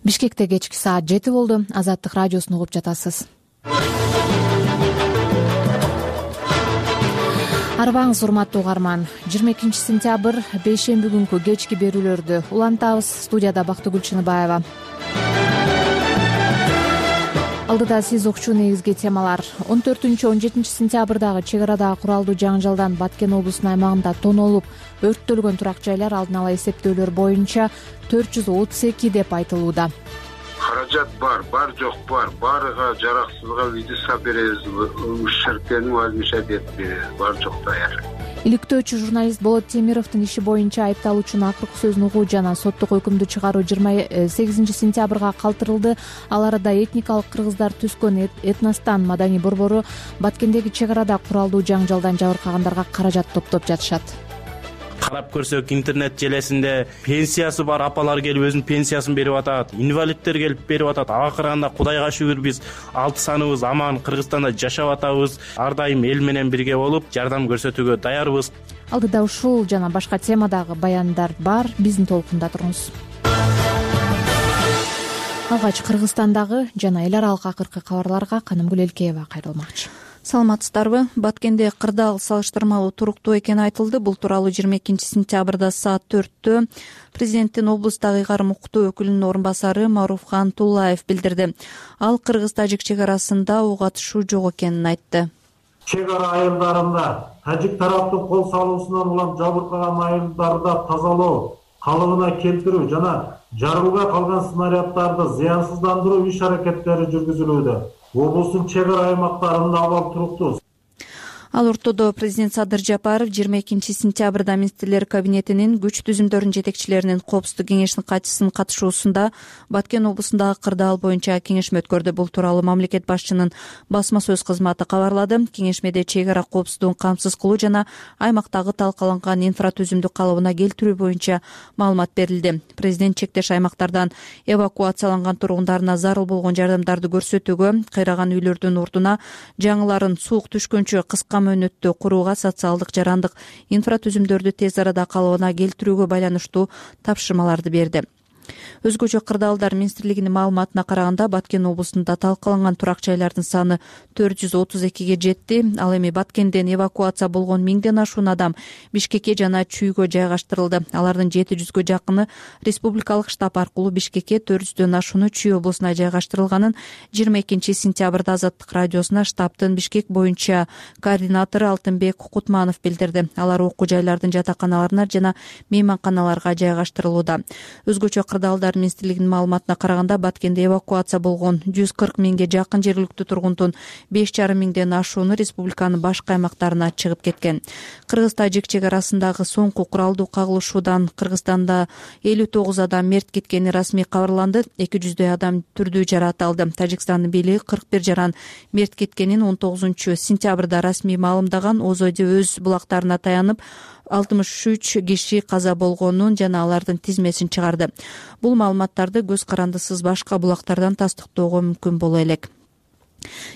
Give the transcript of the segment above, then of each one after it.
Бишкекте кечки саат 7 болду. Азаттык радиосун угуп жатасыз. Арбаңыз урматтуу угарман. 22 сентябрь бейшемби күнкү кечки берүүлөрдү улантабыз. Студияда Бактыгүл Чыныбаева. Алдыда сиз укчу негизги темалар. 14-17 сентябрдагы чек арадагы куралдуу жаңжалдан Баткен облусунун аймагында тонолуп өрттөлгөн турак жайлар алдын ала эсептөөлөр боюнча 432 деп айтылууда. Каражат бар жок баарыга жараксызга видео беребиз, ущербтен возмещать этип беребиз, бар жок даяр. Иликтөөчү журналист Болот Темировдун иши боюнча айыпталуучунун акыркы сөзүн угуу жана соттук өкүмдү чыгаруу 28 сентябрга калтырылды. Ал арада этникалык кыргыздар түзгөн этностан маданий борбору Баткендеги чек арада куралдуу жаңжалдан жабыркагандарга каражат топтоп жатышат. Карап көрсөк, интернет желесинде пенсиясы бар апалар келип өзүнүн пенсиясын берип атат, инвалидтер келип берип атат. Ага караганда Кудайга шүгүр биз 6 саныбыз аман Кыргызстанда жашап атабыз. Ар дайым эл менен бирге болуп, жардам көрсөтүүгө даярбыз. Алдыда ушул жана башка темадагы баяндар бар. Биздин толкунда туруңуз. Алгач Кыргызстандагы жана эл аралык акыркы кабарларга Канымгүл Элкеева кайрылмакчы. Саламатсыздарбы? Баткенде кырдаал салыштырмалуу туруктуу экени айтылды. Бул тууралуу 22 сентябрда саат 4-тө президенттин облустагы ыйгарым укуктуу өкүлүнүн орун басары Маруфхан Туллаев билдирди. Ал кыргыз-тажик чек арасында ок атышуу жок экенин айтты. Чек ара айылдарында тажик тараптын кол салуусунан улам жабыркаган айылдарды тазалоо, калыбына келтирүү жана жарылбай калган снаряддарды зыянсыздандыруу иш-аракеттери жүргүзүлүүдө. Облустун чек ара аймактарында абал туруктуу. Ал ортодо президент Садыр Жапаров 22 сентябрда министрлер кабинетинин күч түзүмдөрүнүн жетекчилеринин коопсуздук кеңешинин катчысынын катышуусунда Баткен облусундагы кырдаал боюнча кеңешме өткөрдү. Бул тууралуу мамлекет башчынын басма сөз кызматы кабарлады. Кеңешмеде чек ара коопсуздугун камсыз кылуу жана аймактагы талкаланган инфратүзүмдү калыбына келтирүү боюнча маалымат берилди. Президент чектеш аймактардан эвакуацияланган тургундарына зарыл болгон жардамдарды көрсөтүүгө, кыйраган үйлөрдүн ордуна жаңыларын суук түшкөнчө кыска мөөнөттө курууга, социалдык жарандык инфратүзүмдөрдү тез арада калыбына келтирүүгө байланыштуу тапшырмаларды берди. Өзгөчө кырдаалдар министрлигинин маалыматына караганда Баткен облусунда талкаланган турак жайлардын саны 432ге жетти. Ал эми Баткенден эвакуация болгон 1000ден ашуун адам Бишкекке жана Чүйгө жайгаштырылды. Алардын 700гө жакыны республикалык штаб аркылуу Бишкекке, 400дөн ашууну Чүй облусуна жайгаштырылганын 22 сентябрда Азаттык радиосуна штабтын Бишкек боюнча координатору Алтынбек Кутманов билдирди. Алар окуу жайлардын жатаканаларына жана мейманканаларга жайгаштырылууда. Өзгөчө кырдаалдар министрлигинин маалыматына караганда Баткенде эвакуация болгон 140 миңге жакын жергиликтүү тургундун 5,5 миңден ашууну республиканын башка аймактарына чыгып кеткен. Кыргыз-тажик чек арасындагы соңку куралдуу кагылышуудан Кыргызстанда 59 адам мерт кеткени расмий кабарланды. 200дөй адам түрдүү жаракат алды. Тажикстандын бийлиги 41 жаран мерт кеткенин 19 сентябрда расмий маалымдаган. ОЗОД өз булактарына таянып 63 киши каза болгонун жана алардын тизмесин чыгарды. Бул маалыматтарды көз карандысыз башка булактардан тастыктоого мүмкүн боло элек.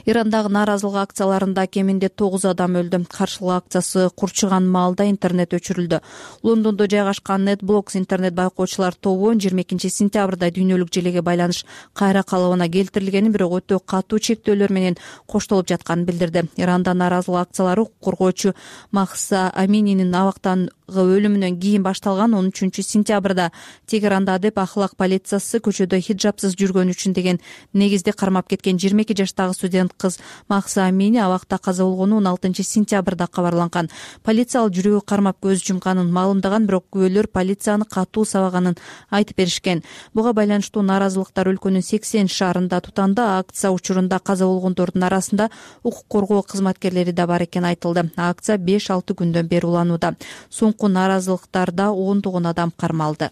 Ирандагы нааразылык акцияларында кеминде 9 адам өлдү. Каршылык акциясы курчуган маалда интернет өчүрүлдү. Лондондо жайгашкан NetBlocks интернет байкоочулар тобу 22 сентябрда дүйнөлүк желеге байланыш кайра калыбына келтирилгенин, бирок өтө катуу чектөөлөр менен коштолуп жатканын билдирди. Иранда нааразылык акциялары коргоочу Махса Амининин абактан өлүмүнөн кийин башталган. 13 сентябрда Тегеранда деп ахлак полициясы көчөдө хиджапсыз жүргөн үчүн деген негизде кармап кеткен 22 жаштагы студент кыз Махса Амини абакта каза болгону 16 сентябрда кабарланган. Полиция ал жүрөгү кармап көз жумганын маалымдаган, бирок күбөлөр полицияны катуу сабаганын айтып беришкен. Буга байланыштуу нааразылыктар өлкөнүн 80 шаарында тутанды. Акция учурунда каза болгондордун арасында укук коргоо кызматкерлери да бар экени айтылды. Акция 5-6 күндөн бери уланууда. Соңку нааразылыктарда 10 адам кармалды.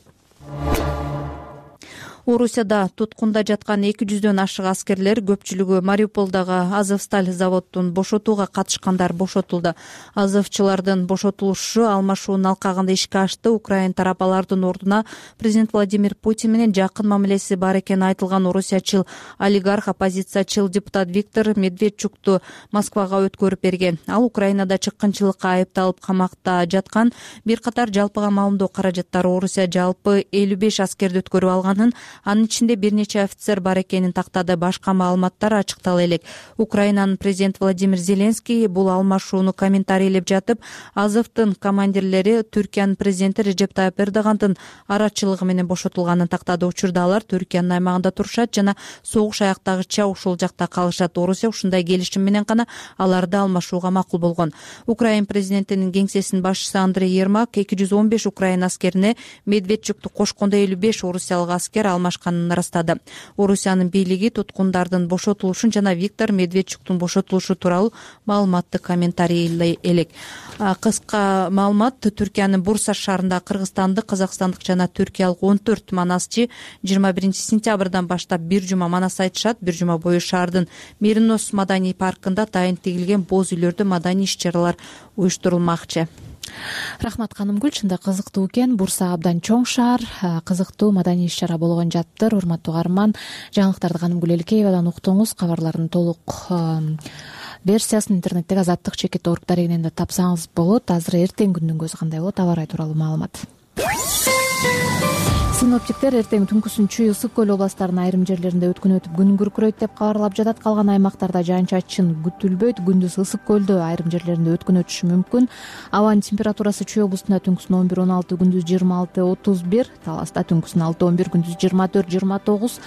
Орусияда туткунда жаткан 200дөн ашык аскерлер, көпчүлүгү Мариуполдагы Азовсталь заводун бошотууга катышкандар бошотулду. Азовчулардын бошотулушу алмашуунун алкагында ишке ашты. Украин тарап алардын ордуна президент Владимир Путин менен жакын мамилеси бар экени айтылган орусиячыл олигарх, оппозициячыл депутат Виктор Медведчукту Москвага өткөрүп берген. Ал Украинада чыккынчылыкка айыпталып камакта жаткан. Бир катар жалпыга маалымдоо каражаттары Орусия жалпы 55 аскерди өткөрүп алганын, Анын ичинде бир нече офицер бар экенин тактады. Башка маалыматтар ачыктала элек. Украинанын президенти Владимир Зеленский бул алмашууну комментарийлеп жатып, Азовдун командирлери Түркиянын президенти Режеп Тайып Эрдогандын арачылыгы менен бошотулганын тактады. Учурда алар Түркиянын аймагында турушат жана согуш аяктагыча ушул жакта калышат. Орусия ушундай келишим менен гана аларды алмашууга макул болгон. Украин президентинин кеңсесинин башчысы Андрей Ермак 215 Украин аскерине Медведчукту кошкондо 55 орусиялык аскер алмашканын ырастады. Орусиянын бийлиги туткундардын бошотулушун жана Виктор Медведчуктун бошотулушу тууралуу маалыматты комментарийлей элек. Кыска маалымат: Түркиянын Бурса шаарында кыргызстандык, казакстандык жана түркиялык 14 манасчы 21 сентябрдан баштап бир жума манас айтышат. Бир жума бою шаардын Мирнос маданий паркында дайын тигилген боз үйлөрдө маданий иш-чаралар уюштурулмакчы. Рахмат Канымгүл, чында кызыктуу экен. Бурса абдан чоң шаар, кызыктуу маданий иш-чара болгон жатыптыр. Урматтуу угарман, жаңылыктарды Канымгүл Элкеевадан уктуңуз. Кабарлардын толук версиясын интернеттеги azatlyk.org дарегинен да тапсаңыз болот. Азыр эртең күндүн көзү кандай болот, аба ырайы тууралуу маалымат. Синоптиктер эртең түнкүсүн Чүй, Ысык көл областарынын айрым жерлеринде өткөн өтүп күн күркүрөйт деп кабарлап жатат. Калган аймактарда жаан-чачын күтүлбөйт. Күндүз Ысык көлдө айрым жерлеринде өткөн өтүшү мүмкүн. Абанын температурасы Чүй облустунда түнкүсүн 11-16, күндүз 26-31, Таласта түнкүсүн 6-11, күндүз 24-29,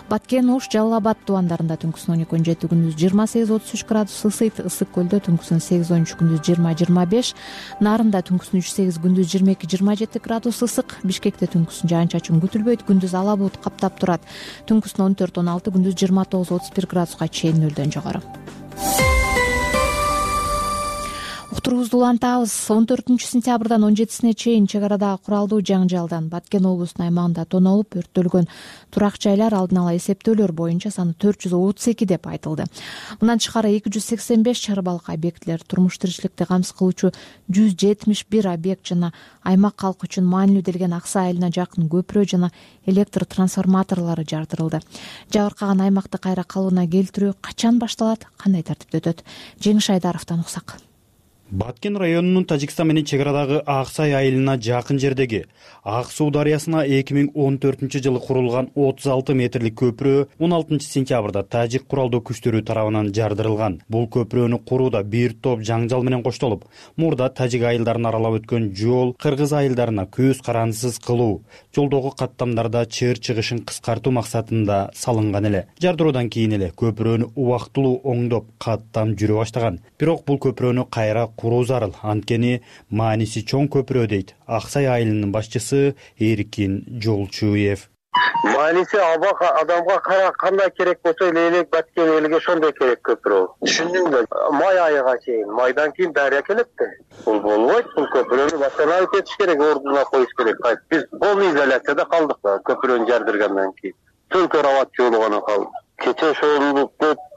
Баткен, Ош, Жалал Абад тубандарында түнкүсүн 12-17, күндүз 28-33 градус ысыйт. Ысык көлдө түнкүсүн 8-13, күндүз 20-25, Нарында түнкүсүн 3-8, күндүз 22-27 градус ысык. Бишкекте түнкүсүн жаан-чачын күтүлбөйт. Күндүз ала булут каптап турат. Түнкүсүн 14-16, күндүз 29-31 градуска чейин нөлдөн жогору. Уктуруубузду улантабыз. 14-сентябрдан 17-сине чейин чек арадагы куралдуу жаңжалдан Баткен облусунун аймагында тоноолуп өрттөлгөн турак жайлар алдын ала эсептөөлөр боюнча саны 432 деп айтылды. Мындан тышкары 285 чарбалык объектилер, турмуш тиричиликти камсыз кылуучу 171 объект жана аймак калкы үчүн маанилүү делген Аксай айылына жакын көпүрө жана электр трансформаторлору жардырылды. Жабыркаган аймакты кайра калыбына келтирүү качан башталат, кандай тартипте өтөт? Жеңиш Айдаровдон уксак. Баткен районунун Тажикстан менен чек арадагы Аксай айылына жакын жердеги Ак суу дарыясына 2014-жылы курулган 36 метрлик көпүрө 16-сентябрда тажик куралдуу күчтөрү тарабынан жардырылган. Бул көпүрөнү курууда бир топ жаңжал менен коштолуп, мурда тажик айылдарын аралап өткөн жол кыргыз айылдарына көз карандысыз кылуу, жолдогу каттамдарда чыр чыгышын кыскартуу максатында салынган эле. Жардыруудан кийин эле көпүрөнү убактылуу оңдоп каттам жүрө баштаган. Бирок бул көпүрөнү кайра куруу зарыл, анткени мааниси чоң көпүрө дейт Аксай айылынын башчысы Эркин Жолчуев. Мааниси адамга кандай керек болсо элек Баткен элге ошондой керек көпүрө. Түшүндүңбү? Май айыга чейин, майдан кийин дарыя келет да. Бул болбойт, бул көпүрөнү башкаруу этиш керек, ордуна коюш керек. Биз полный изоляцияда калдык да, көпүрөнү жардыргандан кийин. Только рават жолу гана калды. Кече ошол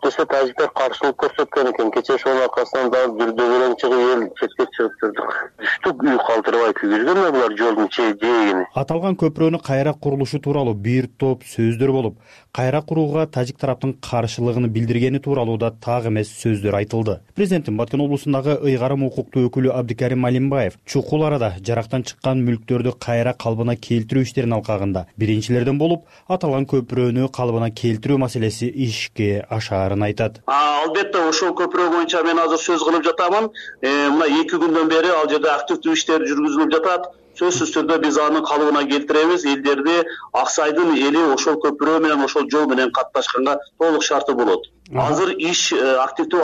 десе тажиктер каршылык көрсөткөн экен. Кече ошонун аркасынан дагы жүрдө белең чыгып эл четке чыгып турдук. Түштүк үй калтырбай күйгүзгөн булар жолдун жээгини. Аталган көпүрөнү кайра курулушу тууралуу бир топ сөздөр болуп, кайра курууга тажик тараптын каршылыгын билдиргени тууралуу да так эмес сөздөр айтылды. Президенттин Баткен облусундагы ыйгарым укуктуу өкүлү Абдикарим Малимбаев чукул арада жарактан чыккан мүлктөрдү кайра калыбына келтирүү иштерин алкагында биринчилерден болуп, аталган көпүрөнү калыбына келтирүү маселеси ишке ашаарын айтат. Албетте ошол көпүрө боюнча мен азыр сөз кылып жатамын. Мына 2 күндөн бери ал жерде активдүү иштер жүргүзүлүп жатат. Сөзсүз түрдө биз аны калыбына келтиребиз. Элдерди Аксайдын эли ошол көпүрө менен, ошол жол менен катташканга толук шарты болот. Азыр иш активдүү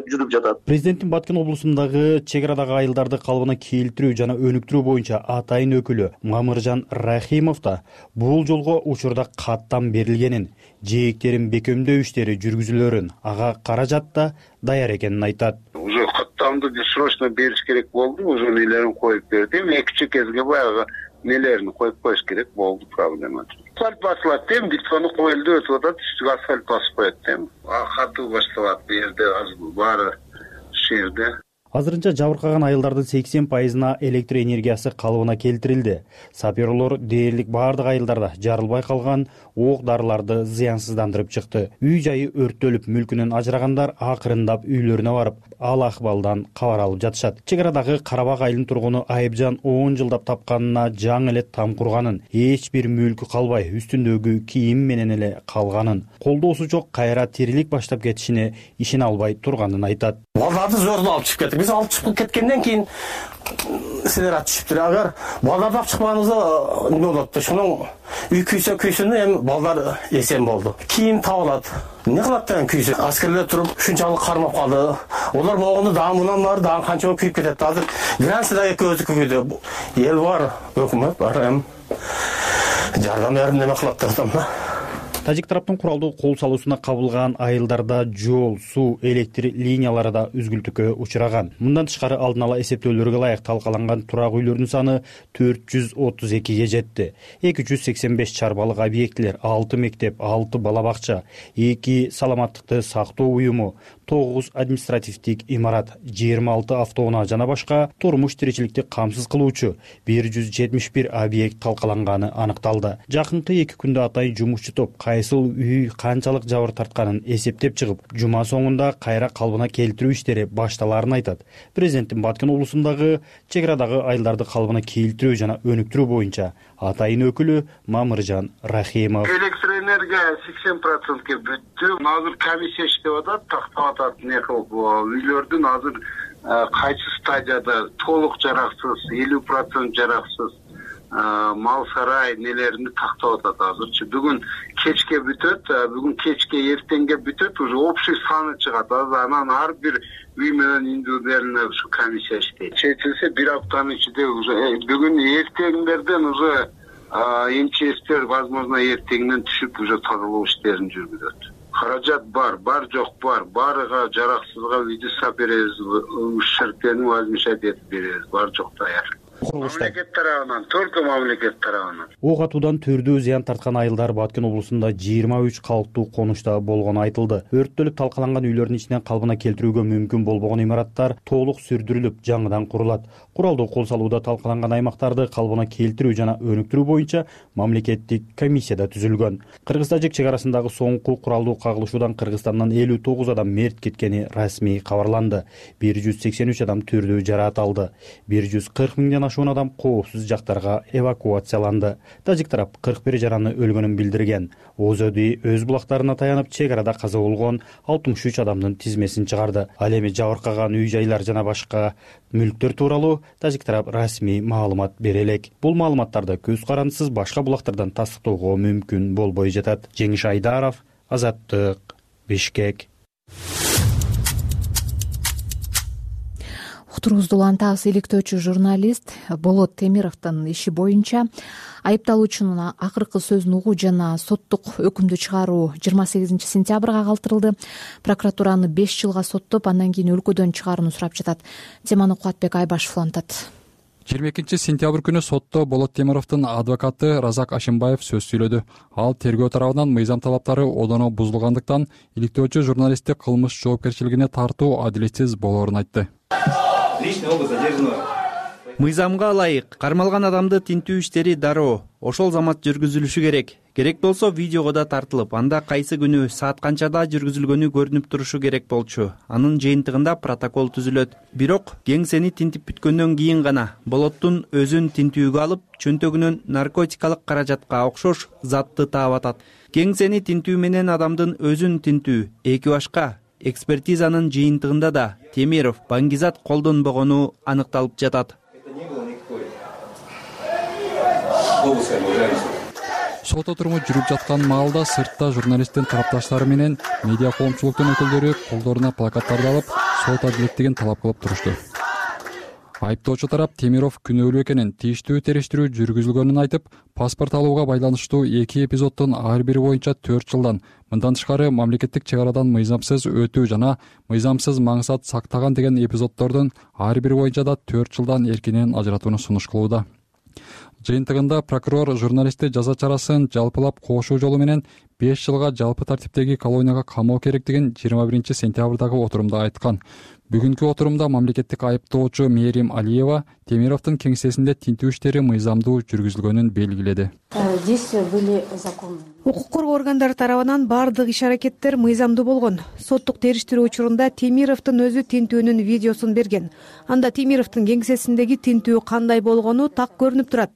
жүрүп жатат. Президенттин Баткен облусундагы чек арадагы айылдарды калыбына келтирүү жана өнүктүрүү боюнча атайын өкүлү Мамыржан Рахимов да бул жолго учурда каттам берилгенин, жээктерин бекемдөө иштери жүргүзүлөрүн, ага каражат да даяр экенин айтат. Уже каттамды срочно бериш керек болду, уже нелерин коюп бердим. Экинчи кезге баягы нелерин коюп коюш керек болду, проблема. Асфальт басылат дем, диктону коюлду, өтүп атат, үстүгө асфальт басып коет дем. Катуу башталат бу жерде, азыр баары жерде. Азырынча жабыркаган айылдардын 80%-на электр энергиясы калыбына келтирилди. Саперлор дээрлик баардык айылдарда жарылбай калган ок дарыларды зыянсыздандырып чыкты. Үй жайы өрттөлүп, мүлкүнөн ажырагандар акырындап үйлөрүнө барып, ал акыбалдан кабар алып жатышат. Чек арадагы Карабак айылынын тургуну Айыпжан 10 жылдап тапканына жаңы эле там курганын, эч бир мүлкү калбай үстүндөгү кийим менен эле калганын, колдоосу жок кайра тирилик баштап кетишине ишене албай турганын айтат. Балдарды зордон алып чыгып кеттик. Биз алып чыгып кеткенден кийин силер атышыптыр. Агар балдарды алып чыкпаганыбызда эмне болот? Ошонун үй күйсүнө эми балдар эсен болду. Кийим табылат. Эмне кылат деген күйсү. Аскерлер туруп ушунчалык кармап калды. Олар болгондо дагы мундан бары дагы канча күйүп кетет. Азыр Грансияда экөөбүздү күйдү. Эл бар, өкмөт бар, эми жардам берип неме кылат деп атам да. Тажик тараптын куралдуу кол салуусуна кабылган айылдарда жол, суу, электр линиялары да үзгүлтүккө учураган. Мындан тышкары алдын ала эсептөөлөргө ылайык талкаланган турак үйлөрдүн саны 432ге жетти. 285 чарбалык объектилер, 6 мектеп, 6 бала бакча, 2 саламаттыкты сактоо уюму, 9 административдик имарат, 26 автоунаа жана башка турмуш тиричиликти камсыз кылуучу 171 объект талкаланганы аныкталды. Жакынкы 2 күндө атайын жумушчу топ кайсыл үй канчалык жабыр тартканын эсептеп чыгып, жума соңунда кайра калыбына келтирүү иштери башталаарын айтат. Президенттин Баткен облусундагы чек арадагы айылдарды калыбына келтирүү жана өнүктүрүү боюнча атайын өкүлү Мамыржан Рахимов. Электр энергия 80%ге бүттү. Азыр комиссия иштеп атат, тактап атат, не кылып үйлөрдүн азыр кайсы стадияда толук жараксыз, 50% жараксыз мал сарай нелерини тактап атат азырчы. Бүгүн кечке бүтөт, бүгүн кечке эртеңге бүтөт, уже общий саны чыгат. Анан ар бир үй менен индивидуально ушу комиссия иштейт. Чечилсе бир аптанын ичинде уже бүгүн эртеңдерден уже МЧСтер возможно эртеңден түшүп уже тазалоо иштерин жүргүзөт. Каражат бар жок бар. Барыга жараксызга видео беребиз, ущербтени возмещать этип беребиз. Бар жок даяр. Мамлекет тарабынан, только мамлекет тарабынан. Ок атуудан түрдүү зыян тарткан айылдар Баткен облусунда 23 калктуу конушта болгону айтылды. Өрттөлүп талкаланган үйлөрдүн ичинен калыбына келтирүүгө мүмкүн болбогон имараттар толук сүрдүрүлүп жаңыдан курулат. Куралдуу кол салууда талкаланган аймактарды калыбына келтирүү жана өнүктүрүү боюнча мамлекеттик комиссия да түзүлгөн. Кыргыз-Тажик чек арасындагы соңку куралдуу кагылышуудан Кыргызстандан 59 адам мерт кеткени расмий кабарланды. 183 адам түрдүү жараат алды. 140 миңден ашуун адам коопсуз жактарга эвакуацияланды. Тажик тарап 41 жараны өлгөнүн билдирген. Озоди өз булактарына таянып чек арада каза болгон 63 адамдын тизмесин чыгарды. Ал эми жабыркаган үй-жайлар жана башка мүлктөр тууралуу Тажик тарап расмий маалымат бере элек. Бул маалыматтарды көз карандысыз башка булактардан тастыктоого мүмкүн болбой жатат. Жеңиш Айдаров, Азаттык, Бишкек. Уктуруубузду улантабыз. Иликтөөчү журналист Болот Темировдун иши боюнча айыпталуучунун акыркы сөзүн угуу жана соттук өкүмдү чыгаруу 28 сентябрга калтырылды. Прокуратураны 5 жылга соттоп, андан кийин өлкөдөн чыгарууну сурап жатат. Теманы Кубатбек Айбашев улантат. 22 сентябрь күнү сотто Болот Темировдун адвокаты Разак Ашимбаев сөз сүйлөдү. Ал тергөө тарабынан мыйзам талаптары одоно бузулгандыктан иликтөөчү журналистти кылмыш жоопкерчилигине тартуу адилетсиз болоорун айтты. Мыйзамга ылайык кармалган адамды тинтүү иштери дароо, ошол замат жүргүзүлүшү керек. Керек болсо видеого да тартылып, анда кайсы күнү саат канчада жүргүзүлгөнү көрүнүп турушу керек болчу. Анын жыйынтыгында протокол түзүлөт. Бирок кеңсени тинтип бүткөндөн кийин гана Болоттун өзүн тинтүүгө алып, чөнтөгүнөн наркотикалык каражатка окшош затты таап атат. Кеңсени тинтүү менен адамдын өзүн тинтүү эки башка. Экспертизанын жыйынтыгында да Темиров баңгизат колдонбогону аныкталып жатат. Сот отуруму жүрүп жаткан маалда сыртта журналисттин тарапташтары менен медиа коомчулуктун өкүлдөрү колдоруна плакаттарды алып, сот адилеттигин талап кылып турушту. Айыптоочу тарап Темиров күнөөлүү экенин, тийиштүү териштирүү жүргүзүлгөнүн айтып, паспорт алууга байланыштуу 2 эпизоддун ар бири боюнча 4 жылдан, мындан тышкары мамлекеттик чек арадан мыйзамсыз өтүү жана мыйзамсыз маңсат сактаган деген эпизоддордун ар бири боюнча да 4 жылдан эркинен ажыратууну сунуш кылууда. Жыйынтыгында прокурор журналистти жаза чарасын жалпылап коошуу жолу менен 5 жылга жалпы тартиптеги колонияга камоо керектигин 21 сентябрдагы отурумда айткан. Бүгүнкү отурумда мамлекеттик айыптоочу Мерим Алиева Темировдун кеңсесинде тинтүү иштери мыйзамдуу жүргүзүлгөнүн белгиледи. действия были законны. Укук коргоо органдары тарабынан баардык иш-аракеттер мыйзамдуу болгон. Соттук териштирүү учурунда Темировдун өзү тинтүүнүн видеосун берген. Анда Темировдун кеңсесиндеги тинтүү кандай болгону так көрүнүп турат.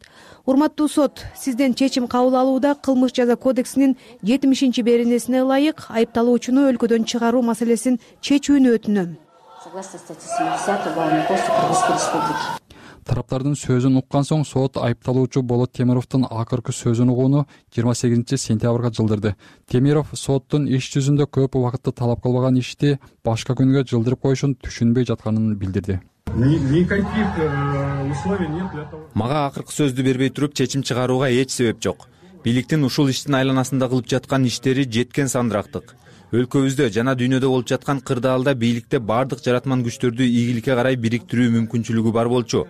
Урматтуу сот, сизден чечим кабыл алууда Кылмыш жаза кодексинин 70-беренесине ылайык айыпталуучуну өлкөдөн чыгаруу маселесин чечүүнү өтүнөм. Согласно статьи 70 Уголовного кодекса Кыргызской Республики. Тараптардын сөзүн уккан соң сот айыпталуучу Болот Темировдун акыркы сөзүн угууну 28 сентябрга жылдырды. Темиров соттун иш жүзүндө көп убакытты талап кылбаган ишти башка күнгө жылдырып коюшун түшүнбөй жатканын билдирди. Никаких условий нет для того. Мага акыркы сөздү бербей туруп чечим чыгарууга эч себеп жок. Бийликтин ушул иштин айланасында кылып жаткан иштери жеткен сандырактык. Өлкөбүздө жана дүйнөдө болуп жаткан кырдаалда бийликте баардык жаратман күчтөрдү ийгиликке карай бириктирүү мүмкүнчүлүгү бар болчу.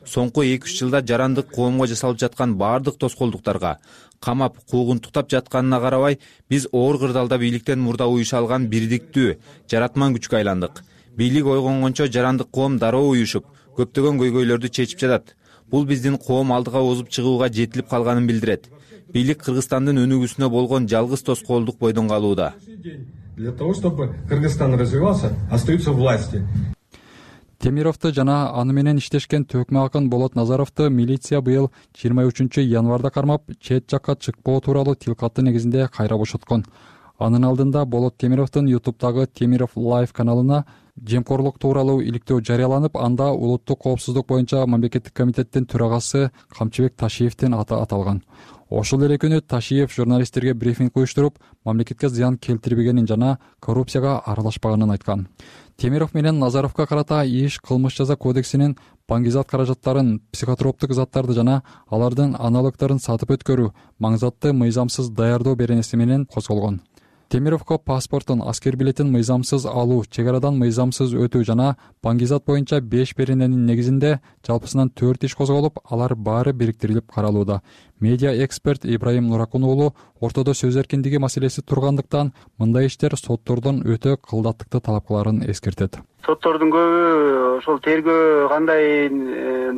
Соңку 2-3 жылда жарандык коомго жасалып жаткан баардык тоскоолдуктарга, камап, куугунтуктап жатканына карабай, биз оор кырдаалда бийликтен мурда уюша алган бирдиктүү жаратман күчкө айландык. Бийлик ойгонгончо жарандык коом дароо уюшуп, көптөгөн көйгөйлөрдү чечип жатат. Бул биздин коом алдыга озуп чыгууга жетилип калганын билдирет. Бийлик Кыргызстандын өнүгүүсүнө болгон жалгыз тоскоолдук бойдон калууда. Для того, чтобы Кыргызстан развивался, остаются власти. Темировду жана аны менен иштешкен төкмө акын Болот Назаровду милиция быйыл 23 январда кармап, чет жакка чыкпоо тууралуу тилкаты негизинде кайра бошоткон. Анын алдында Болот Темировдун YouTube'дагы Темиров Live каналына жемкорлук тууралуу иликтөө жарыяланып, анда улуттук коопсуздук боюнча мамлекеттик комитеттин төрагасы Камчыбек Ташиевдин аты аталган. Ошол эле күнү Ташиев журналисттерге брифинг уюштуруп, мамлекетке зыян келтирбегенин жана коррупцияга аралашпаганын айткан. Темиров менен Назаровго карата иш Кылмыш жаза кодексинин баңгизат каражаттарын, психотроптук заттарды жана алардын аналогдорун сатып өткөрүү, маңзатты мыйзамсыз даярдоо беренеси менен козголгон. Темировго паспортун, аскер билетин мыйзамсыз алуу, чек арадан мыйзамсыз өтүү жана баңгизат боюнча 5 берененин негизинде жалпысынан 4 иш козголуп, алар баары бириктирилип каралууда. Медиа эксперт Ибраим Нуракун уулу ортодо сөз эркиндиги маселеси тургандыктан мындай иштер соттордон өтө кылдаттыкты талап кыларын эскертет. Соттордун көбү ошол тергөө кандай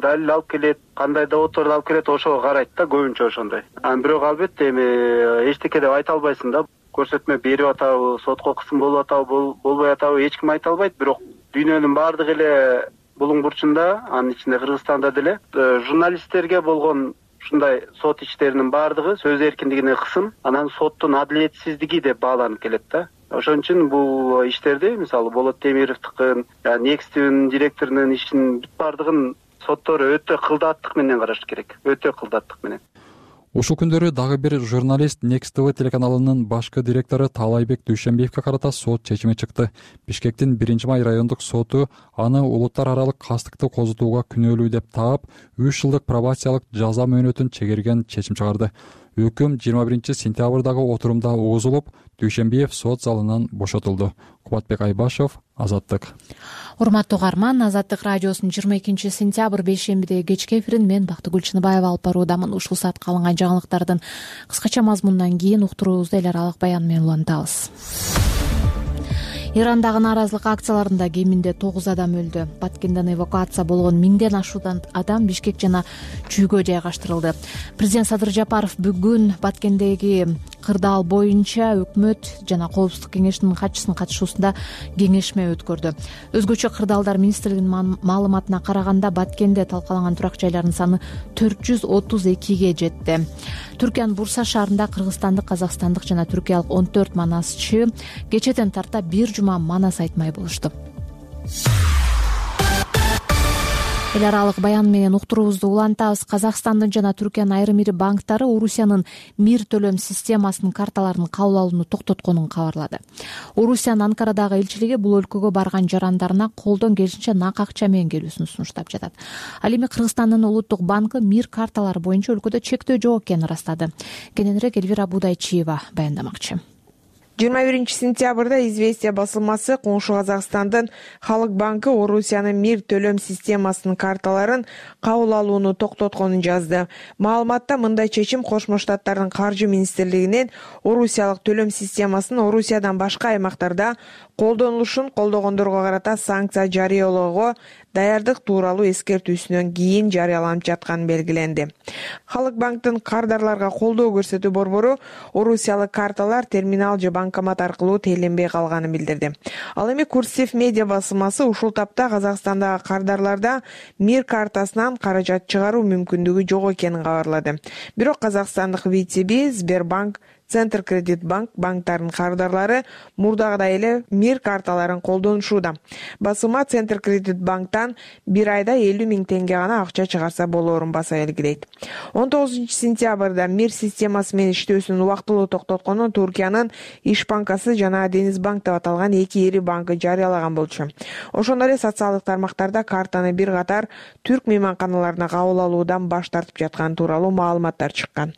далил алып келет, кандай доводдорду алып келет, ошого карайт да, көбүнчө ошондой. Бирок албетте эми эчтеке деп айта албайсың да. Көрсөтмө берип атабы, сотко кысым болуп атабы, болбой атабы эч ким айта албайт. Бирок дүйнөнүн баардык эле булуң бурчунда, анын ичинде Кыргызстанда деле журналисттерге болгон ушундай сот иштеринин баардыгы сөз эркиндигине кысым, анан соттун адилетсиздиги деп бааланып келет да. Ошон үчүн бул иштерди, мисалы Болот Темировдукун, Next'тин директорунун ишин баардыгын соттор өтө кылдаттык менен караш керек. Өтө кылдаттык менен. Ушул күндөрү дагы бир журналист Next TV телеканалынын башкы директору Таалайбек Дүйшөнбиевге карата сот чечими чыкты. Бишкектин 1-май райондук соту аны улуттар аралык кастыкты козутууга күнөөлүү деп таап, 3 жылдык пробациялык жаза мөөнөтүн чегерген чечим чыгарды. Өкүм 21 сентябрдагы отурумда угузулуп, Дүйшөнбиев сот залынан бошотулду. Кубатбек Айбашев, Азаттык. Урматтуу угарман, Азаттык радиосунун 22 сентябрь бейшембидеги кечки эфирин мен Бактыгүл Чыныбаева алып баруудамын. Ушул саатка алынган жаңылыктардын кыскача мазмунунан кийин уктуруубузду эл аралык баян менен улантабыз. Ирандагы нааразылык акцияларында кеминде 9 адам өлдү. Баткенден эвакуация болгон 1000ден ашуудан адам Бишкек жана Чүйгө жайгаштырылды. Президент Садыр Жапаров бүгүн Баткендеги кырдаал боюнча өкмөт жана Коопсуздук кеңешинин катчысынын катышуусунда кеңешме өткөрдү. Өзгөчө кырдаалдар министрлигинин маалыматына караганда Баткенде талкаланган турак жайлардын саны 432ге жетти. Түркиянын Бурса шаарында кыргызстандык, казакстандык жана түркиялык 14 манасчы кечеден тарта бир жума манас айтмай болушту. Эл аралык баян менен уктуруубузду улантабыз. Казакстандын жана Түркиянын айрым ири банктары Орусиянын мир төлөм системасынын карталарын кабыл алууну токтотконун кабарлады. Орусиянын Анкарадагы элчилиги бул өлкөгө барган жарандарына колдон келишинче нак акча менен келүүсүн сунуштап жатат. Ал эми Кыргызстандын улуттук банкы мир карталары боюнча өлкөдө чектөө жок экенин ырастады. Кененирээк Элвира Будайчиева баяндамакчы. 21 сентябрда «Известия» басылмасы коңшу Казакстандын Халык банкы Орусиянын мир төлөм системасынын карталарын кабыл алууну токтотконун жазды. Маалыматта мындай чечим Кошмо Штаттардын каржы министрлигинин Орусиялык төлөм системасын Орусиядан башка аймактарда колдонулушун колдогондорго карата санкция жарыялоого даярдык тууралуу эскертүүсүнөн кийин жарыяланып жатканы белгиленди. Халык банктын кардарларга колдоо көрсөтүү борбору орусиялык карталар терминал же банкомат аркылуу тээленбей калганын билдирди. Ал эми Курсев медиа басылмасы ушул тапта Казакстандагы кардарларда МИР картасынан каражат чыгаруу мүмкүндүгү жок экенин кабарлады. Бирок казакстандык ВТБ, Сбербанк, Центр Кредит Банк банктарынын кардарлары мурдагыдай эле МИР карталарын колдонушууда. Басылма Центр Кредит Банктан бир айда 50 000 теңге гана акча чыгарса болоорун баса белгилейт. 19 сентябрда МИР системасы менен иштөөсүн убактылуу токтотконун Туркиянын Иш банкасы жана Дениз банк деп аталган эки ири банкы жарыялаган болчу. Ошондой эле социалдык тармактарда картаны бир катар түрк мейманканаларына кабыл алуудан баш тартып жатканы тууралуу маалыматтар чыккан.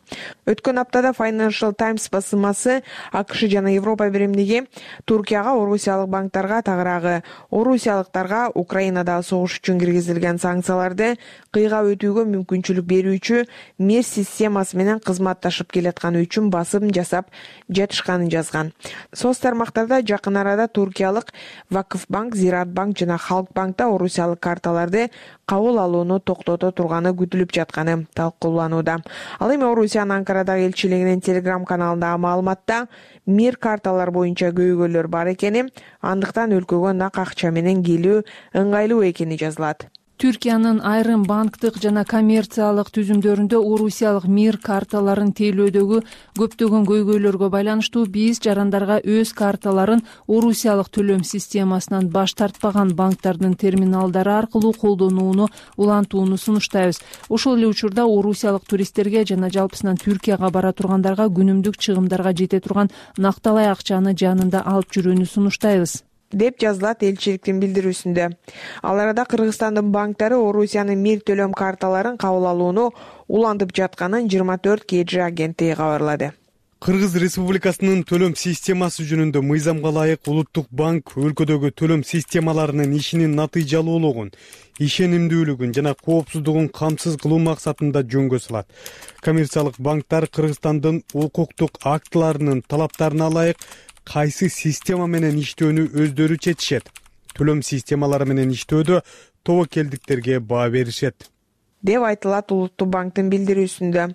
Өткөн аптада Financial Times басылмасы АКШ жана Европа биримдиги Туркияга орусиялык банктарга тагыраагы орусиялыктарга Украинадагы согуш үчүн киргизилген санкцияларды кыйгап өтүүгө мүмкүнчүлүк берүүчү МИР системасы менен кызматташып келатканы үчүн басым жасап жатышканын жазган. Соц тармактарда жакын арада туркиялык Вакыф банк, Зираат банк жана Халк банкта орусиялык карталарды кабыл алууну токтото турганы күтүлүп жатканы талкууланууда. Ал эми Орусиянын Анкарадагы элчилигинин Telegram каналындагы маалыматта МИР карталар боюнча көйгөйлөр бар экени, андыктан өлкөгө нак акча менен келүү ыңгайлуу экени жазылат. Түркиянын айрым банктык жана коммерциялык түзүмдөрүндө орусиялык МИР карталарын тейлөөдөгү көптөгөн көйгөйлөргө байланыштуу биз жарандарга өз карталарын орусиялык төлөм системасынан баш тартпаган банктардын терминалдары аркылуу колдонууну улантууну сунуштайбыз. Ошол эле учурда орусиялык туристтерге жана жалпысынан Түркияга бара тургандарга күнүмдүк чыгымдарга жете турган накталай акчаны жанында алып жүрүүнү сунуштайбыз, деп жазылат элчиликтин билдирүүсүндө. Ал арада Кыргызстандын банктары Орусиянын МИР төлөм карталарын кабыл алууну улантып жатканын 24 KG агенттиги кабарлады. Кыргыз Республикасынын төлөм системасы жөнүндө мыйзамга ылайык Улуттук банк өлкөдөгү төлөм системаларынын ишинин натыйжалуулугун, ишенимдүүлүгүн жана коопсуздугун камсыз кылуу максатында жөнгө салат. Коммерциялык банктар Кыргызстандын укуктук актыларынын талаптарына ылайык кайсы система менен иштөөнү өздөрү чечишет. Төлөм системалары менен иштөөдө тобокелдиктерге баа беришет, деп айтылат Улуттук банктын билдирүүсүндө.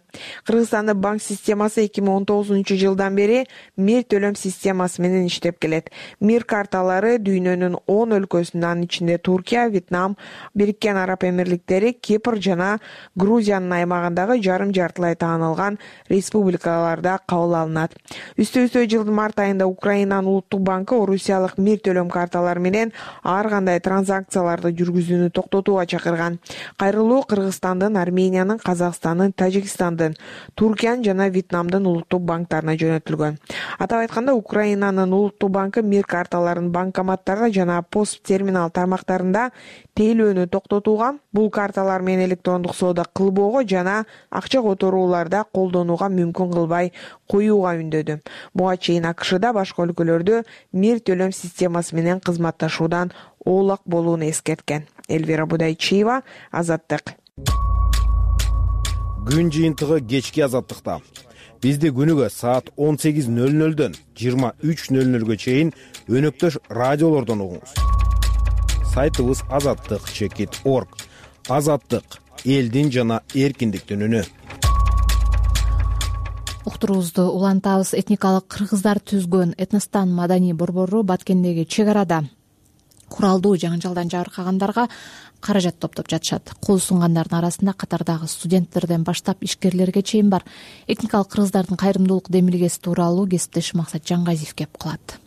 Кыргызстандын банк системасы 2019 жылдан бери МИР төлөм системасы менен иштеп келет. МИР карталары дүйнөнүн 10 өлкөсүнөн, анын ичинде Туркия, Вьетнам, Бириккен Араб Эмирликтери, Кипр жана Грузиянын аймагындагы жарым-жартылай таанылган республикаларда кабыл алынат. Үстө жылдын март айында Украинанын Улуттук банкы орусиялык МИР төлөм карталары менен ар кандай транзакцияларды жүргүзүүнү токтотууга чакырган. Кайрылуу Кыргызстандын, Армениянын, Казакстандын, Тажикстандын, Туркиянын жана Вьетнамдын улуттук банктарына жөнөтүлгөн. Атап айтканда, Украинанын улуттук банкы МИР карталарын банкоматтарда жана пост терминал тармактарында тейлөөнү токтотууга, бул карталар менен электрондук соода кылбоого жана акча которууларда колдонууга мүмкүн кылбай коюуга үндөдү. Буга чейин АКШда башка өлкөлөрдө МИР төлөм системасы менен кызматташуудан оолак болууну эскерткен. Элвира Будайчиева, Азаттык. Күн жыйынтыгы кечки Азаттыкта. Бизди күнүгө саат 18:00дөн 23:00га чейин өнөктөш радиолордон угуңуз. Сайтыбыз azattik.org. Азаттык — элдин жана эркиндиктин үнү. Уктуруубузду улантабыз. Этникалык кыргыздар түзгөн Этностан маданий борбору Баткендеги чек арада куралдуу жаңжалдан жабыркагандарга каражат топтоп жатышат. Кол сунгандардын арасында катардагы студенттерден баштап ишкерлерге чейин бар. Этникалык кыргыздардын кайрымдуулук демилгеси тууралуу кесиптешим Максат Жаңгазиев кеп кылат.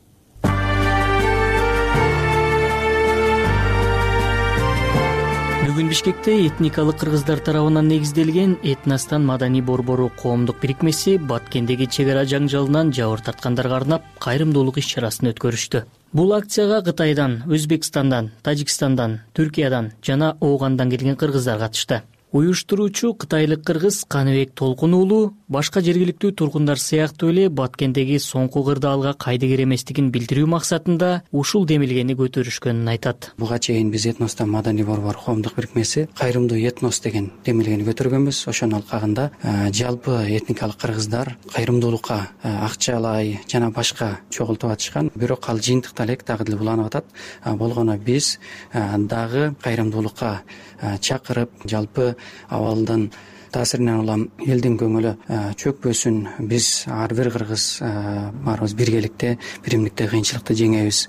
Бүгүн Бишкекте этникалык кыргыздар тарабынан негизделген Этностан маданий борбору коомдук бирикмеси Баткендеги чек ара жаңжалынан жабыр тарткандарга арнап кайрымдуулук иш-чарасын өткөрүштү. Бул акцияга Кытайдан, Өзбекстандан, Тажикстандан, Түркиядан жана Оогандан келген кыргыздар катышты. Уюштуруучу кытайлык кыргыз Каныбек Толкун уулу башка жергиликтүү тургундар сыяктуу эле Баткендеги соңку кырдаалга кайдыгер эместигин билдирүү максатында ушул демилгени көтөрүшкөнүн айтат. Буга чейин биз Этноста маданий борбор коомдук бирикмеси кайрымдуу этнос деген демилгени көтөргөнбүз. Ошонун алкагында жалпы этникалык кыргыздар кайрымдуулукка акчалай жана башка чогултуп атышкан. Бирок ал жыйынтыкта элек дагы деле уланып атат. Болгону биз дагы кайрымдуулукка чакырып, жалпы абалдын таасиринен улам элдин көңүлү чөкпөсүн, биз ар бир кыргыз баарыбыз биргеликте, биримдикте кыйынчылыкты жеңебиз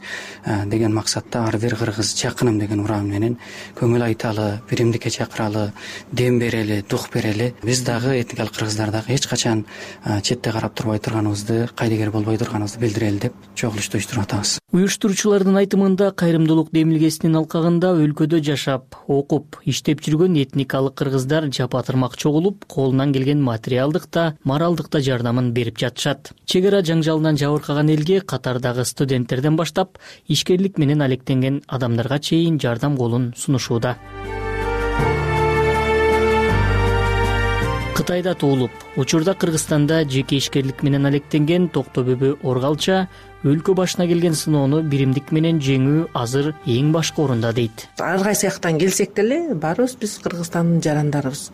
деген максатта ар бир кыргыз жакыным деген уран менен көңүл айталы, биримдикке чакыралы, дем берели, дух берели. Биз дагы этникалык кыргыздар дагы эч качан четте карап турбай турганыбызды, кайдыгер болбой турганыбызды билдирели деп чогулушту уюштуруп атабыз. Уюштуруучулардын айтымында кайрымдуулук демилгесинин алкагында өлкөдө жашап, окуп, иштеп жүргөн этникалык кыргыздар жапатырмак чогулуп, колунан келген материалдык да, моралдык да жардамын берип жатышат. Чек ара жаңжалынан жабыркаган элге катардагы студенттерден баштап, ишкерлик менен алектенген адамдарга чейин жардам колун сунушууда. Кытайда туулуп, учурда Кыргызстанда жеке ишкерлик менен алектенген Токтобөбү Оргалча өлкө башына келген сыноону биримдик менен жеңүү азыр эң башкы орунда дейт. Ар кайсы жактан келсек деле баарыбыз биз Кыргызстандын жарандарыбыз.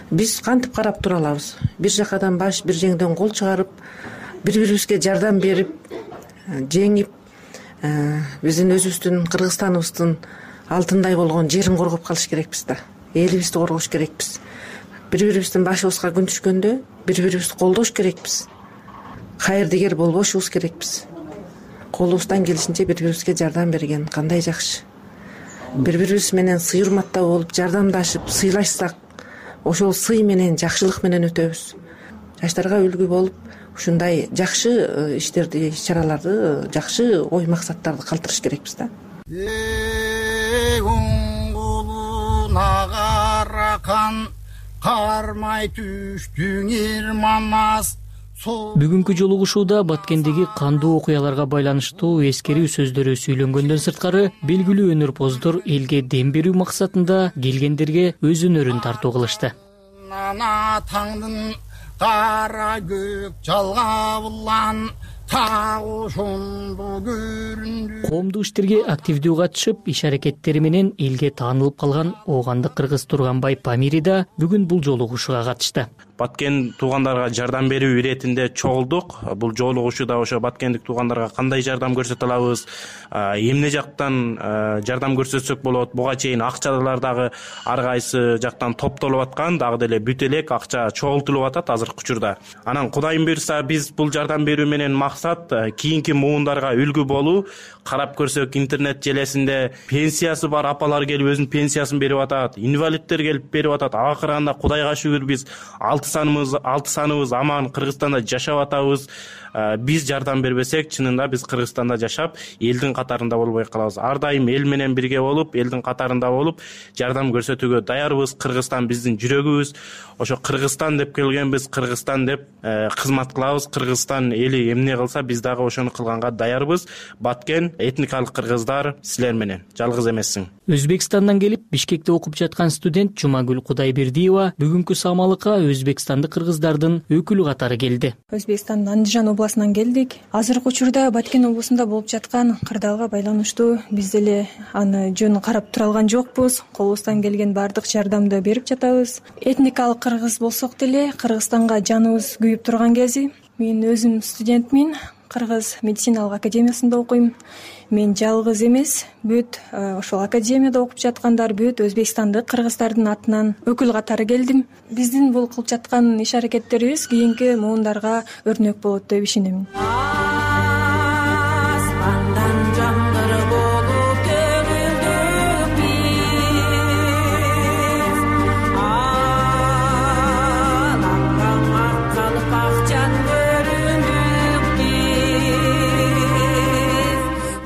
Биз кантип карап тура алабыз? Бир жакадан баш, бир жеңден кол чыгарып, бири-бирибизге жардам берип, жеңип, биздин өзүбүздүн Кыргызстаныбыздын алтындай болгон жерин коргоп калыш керекпиз да. Элибизди коргош керекпиз. Бири-бирибиздин башыбызга күн түшкөндө бири-бирибизди колдош керекпиз. Кайырдыгер болбошубуз керекпиз. Колубуздан келишинче бири-бирибизге жардам берген кандай жакшы. Бири-бирибиз менен сый урматтуу болуп, жардамдашып, сыйлашсак, ошол сый менен, жакшылык менен өтөбүз. Жаштарга үлгү болуп, ушундай жакшы иштерди, иш-чараларды, жакшы ой максаттарды калтырыш керекпиз да. Кармай түштүң ирманас. Бүгүнкү жолугушууда Баткендеги кандуу окуяларга байланыштуу эскерүү сөздөрү сүйлөнгөндөн сырткары белгилүү өнөрпоздор элге дем берүү максатында келгендерге өз өнөрүн тартуу кылышты. Таңдын кара көк жалгабылан Коомдук иштерге активдүү катышып, иш аракеттери менен элге таанылып калган Оогандык кыргыз Турганбай Памири да бүгүн бул жолугушууга катышты. Баткен туугандарга жардам берүү иретинде чогулдук. Бул жолугушууда ошо баткендик туугандарга кандай жардам көрсөтө алабыз, эмне жактан жардам көрсөтсөк болот. Буга чейин акчалар дагы ар кайсы жактан топтолуп аткан, дагы деле бүт элек акча чогултулуп атат азыркы учурда. Анан Кудайым буйрса биз бул жардам берүү менен максат кийинки муундарга үлгү болуу. Карап көрсөк интернет желесинде пенсиясы бар апалар келип өзүнүн пенсиясын берип атат, инвалидтер келип берип атат. Акырында Кудайга шүгүр биз 6 саныбыз аман Кыргызстанда жашап атабыз. Биз жардам бербесек, чынында биз Кыргызстанда жашап, элдин катарында болбой калабыз. Ар дайым эл менен бирге болуп, элдин катарында болуп, жардам көрсөтүүгө даярбыз. Кыргызстан биздин жүрөгүбүз. Ошо Кыргызстан деп келгенбиз, Кыргызстан деп кызмат кылабыз. Кыргызстан эли эмне кылса, биз дагы ошону кылганга даярбыз. Баткен этникалык кыргыздар силер менен жалгыз эмессиң. Өзбекстандан келип Бишкекте окуп жаткан студент Жумагүл Кудайбердиева бүгүнкү самалыкка өзбекстандык кыргыздардын өкүлү катары келди. Өзбекстандын Андижан областынан келдик. Азыркы учурда Баткен облусунда болуп жаткан кырдаалга байланыштуу биз деле аны жөн карап тура алган жокпуз. Колубуздан келген баардык жардамды берип жатабыз. Этникалык кыргыз болсок деле Кыргызстанга жаныбыз күйүп турган кези. Мен өзүм студентмин. Кыргыз медициналык академиясында окуйм. Мен жалгыз эмес, бүт ошол академияда окуп жаткандар бүт Өзбекстандык кыргыздардын атынан өкүл катары келдим. Биздин бул кылып жаткан иш аракеттерибиз кийинки муундарга өрнөк болот деп ишенемин.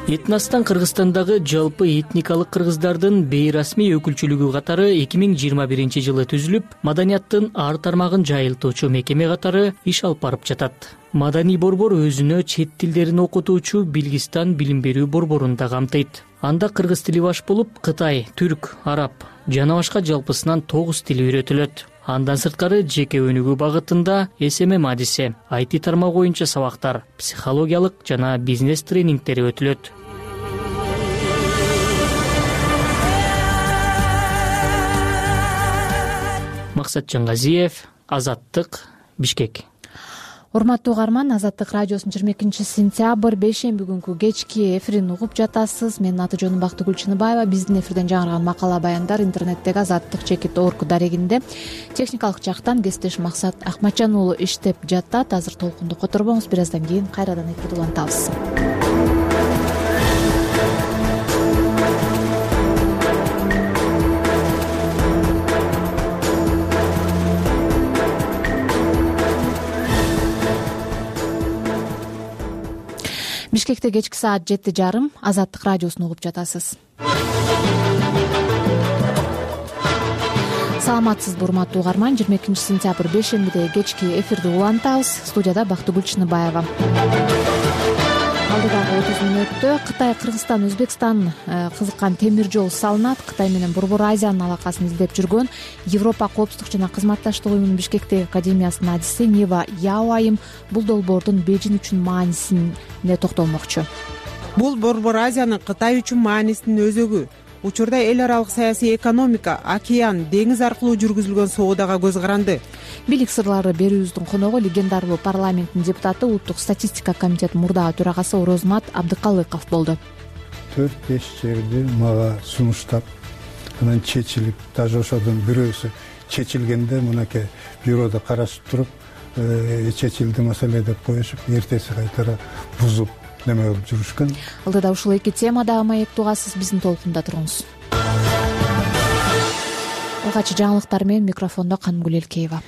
Этностан Кыргызстандагы жалпы этникалык кыргыздардын бейрасмий өкүлчүлүгү катары 2021 жылы түзүлүп, маданияттын ар тармагын жайылтуучу мекеме катары иш алып барып жатат. Маданий борбор өзүнө чет тилдерин окутуучу Билгистан билим берүү борборун да камтыйт. Анда кыргыз тили баш болуп, кытай, түрк, араб жана башка жалпысынан 9 тил үйрөтүлөт. Андан сырткары жеке өнүгүү багытында СММ адиси, IT тармагы боюнча сабактар, психологиялык жана бизнес тренингтери өтүлөт. Максат Жангазиев, Азаттык, Бишкек. Урматтуу угарман, Азаттык радиосунун 22 сентябрь бейшемби күнкү кечки эфирин угуп жатасыз. Менин аты жөнүм Бактыгүл Чыныбаева. Биздин эфирден жаңырган макала баяндар интернеттеги Азаттык.org дарегинде. Техникалык жактан кесиптешим Максат Акматжан уулу иштеп жатат. Азыр толкунду которбоңуз, бир аздан кийин кайрадан эфирди улантабыз. Бишкекте кечки саат 7:30 Азаттык радиосун угуп жатасыз. Саламатсызбы урматтуу угарман, 22 сентябрь бейшембидеги кечки эфирди улантабыз. Студияда Бактыгүл Чыныбаева. Алдыдагы 30 мүнөттө Кытай, Кыргызстан, Өзбекстан кызыккан темир жол салынат. Кытай менен Борбор Азиянын алакасын издеп жүргөн Европа коопсуздук жана кызматташтык уюмунун Бишкектеги академиясынын адиси Нева Яоайым бул долбоордун Бейжиң үчүн маанисине токтолмокчу. Бул Борбор Азиянын Кытай үчүн маанисинин өзөгү. Учурда эл аралык саясий экономика, океан, деңиз аркылуу жүргүзүлгөн соодага көз каранды. Бийлик сырлары берүүбүздүн коногу легендарлуу парламенттин депутаты, Улуттук статистика комитетинин мурдагы төрагасы Орозмат Абдыкалыков болду. 4-5 жерди мага сунуштап, анан чечилип, даже ошодон бирөөсү чечилгенде мынакей бюрода карашып туруп, чечилди маселе деп коюшуп, эртеси кайтара бузуп неме кылып жүрүшкөн. Алдыда ушул эки темада маек угасыз, биздин толкунда туруңуз. Алгачкы жаңылыктар менен микрофондо Канымгүл Элкеева.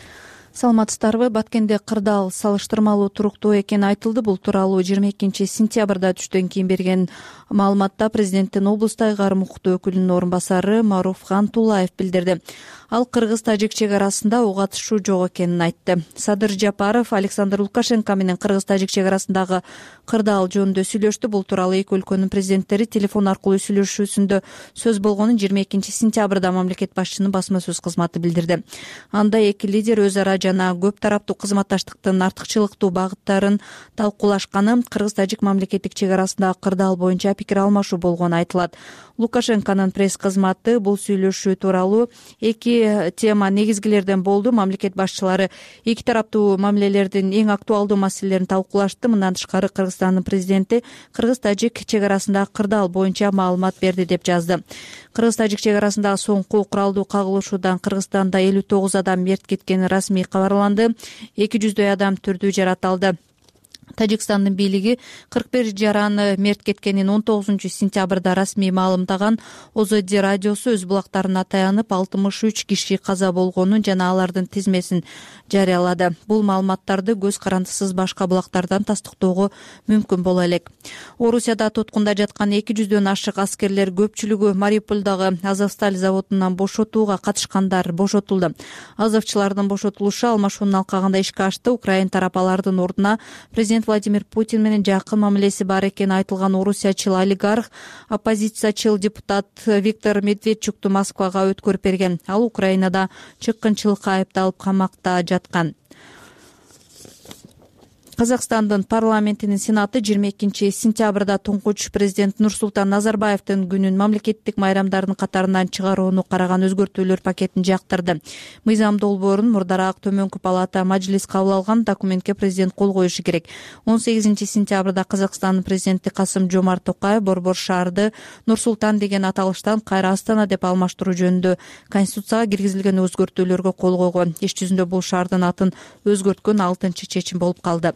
Саламатсыздарбы? Баткенде кырдаал салыштырмалуу туруктуу экени айтылды. Бул тууралуу 22 сентябрда түштөн кийин берген маалыматта президенттин облустагы карым укуктуу өкүлүнүн орун басары Маруфхан Тулаев билдирди. Ал кыргыз-тажик чек арасында ок атышуу жок экенин айтты. Садыр Жапаров Александр Лукашенко менен кыргыз-тажик чек арасындагы кырдаал жөнүндө сүйлөштү. Бул тууралуу эки өлкөнүн президенттери телефон аркылуу сүйлөшүүсүндө сөз болгонун 22 сентябрда мамлекет башчынын басма сөз кызматы билдирди. Анда эки лидер өз ара жана көп тараптуу кызматташтыктын артыкчылыктуу багыттарын талкуулашканы, кыргыз-тажик мамлекеттик чек арасындагы кырдаал боюнча пикир алмашуу болгону айтылат. Лукашенконун пресс кызматы бул сүйлөшүү тууралуу эки тема негизгилерден болду. Мамлекет башчылары эки тараптуу мамилелердин эң актуалдуу маселелерин талкуулашты. Мындан тышкары Кыргызстандын президенти кыргыз-тажик чек арасындагы кырдаал боюнча маалымат берди деп жазды. Кыргыз-тажик чек арасындагы соңку куралдуу кагылышуудан Кыргызстанда 59 адам мерт кеткени расмий кабарланды. 200дөй адам түрдүү жараталды. Тажикстандын бийлиги 41 жараны мерт кеткенин 19 сентябрда расмий маалымдаган. ОЗД радиосу өз булактарына таянып 63 киши каза болгонун жана алардын тизмесин жарыялады. Бул маалыматтарды көз карандысыз башка булактардан тастыктоого мүмкүн боло элек. Орусияда туткунда жаткан 200дөн ашык аскерлер көпчүлүгү Мариупольдагы Азовсталь заводунан бошотууга катышкандар бошотулду. Азовчылардын бошотулушу алмашуунун алкагында ишке ашты. Украин тарап алардын ордуна президент Владимир Путин менен жакын мамилеси бар экени айтылган орусиячыл олигарх, оппозициячыл депутат Виктор Медведчукту Москвага өткөрүп берген. Ал Украинада чыккынчылыкка айыпталып камакта жаткан. Казакстандын парламентинин сенаты 22 сентябрда туңгуч президент Нурсултан Назарбаевдин күнүн мамлекеттик майрамдардын катарынан чыгарууну караган өзгөртүүлөр пакетин жактырды. Мыйзам долбоорун мурдараак төмөнкү палата мажлис кабыл алган. Документке президент кол коюшу керек. 18 сентябрда Казакстандын президенти Касым-Жомарт Токаев борбор шаарды Нурсултан деген аталыштан кайра Астана деп алмаштыруу жөнүндө конституцияга киргизилген өзгөртүүлөргө кол койгон. Иш жүзүндө бул шаардын атын өзгөрткөн 6-чечим болуп калды.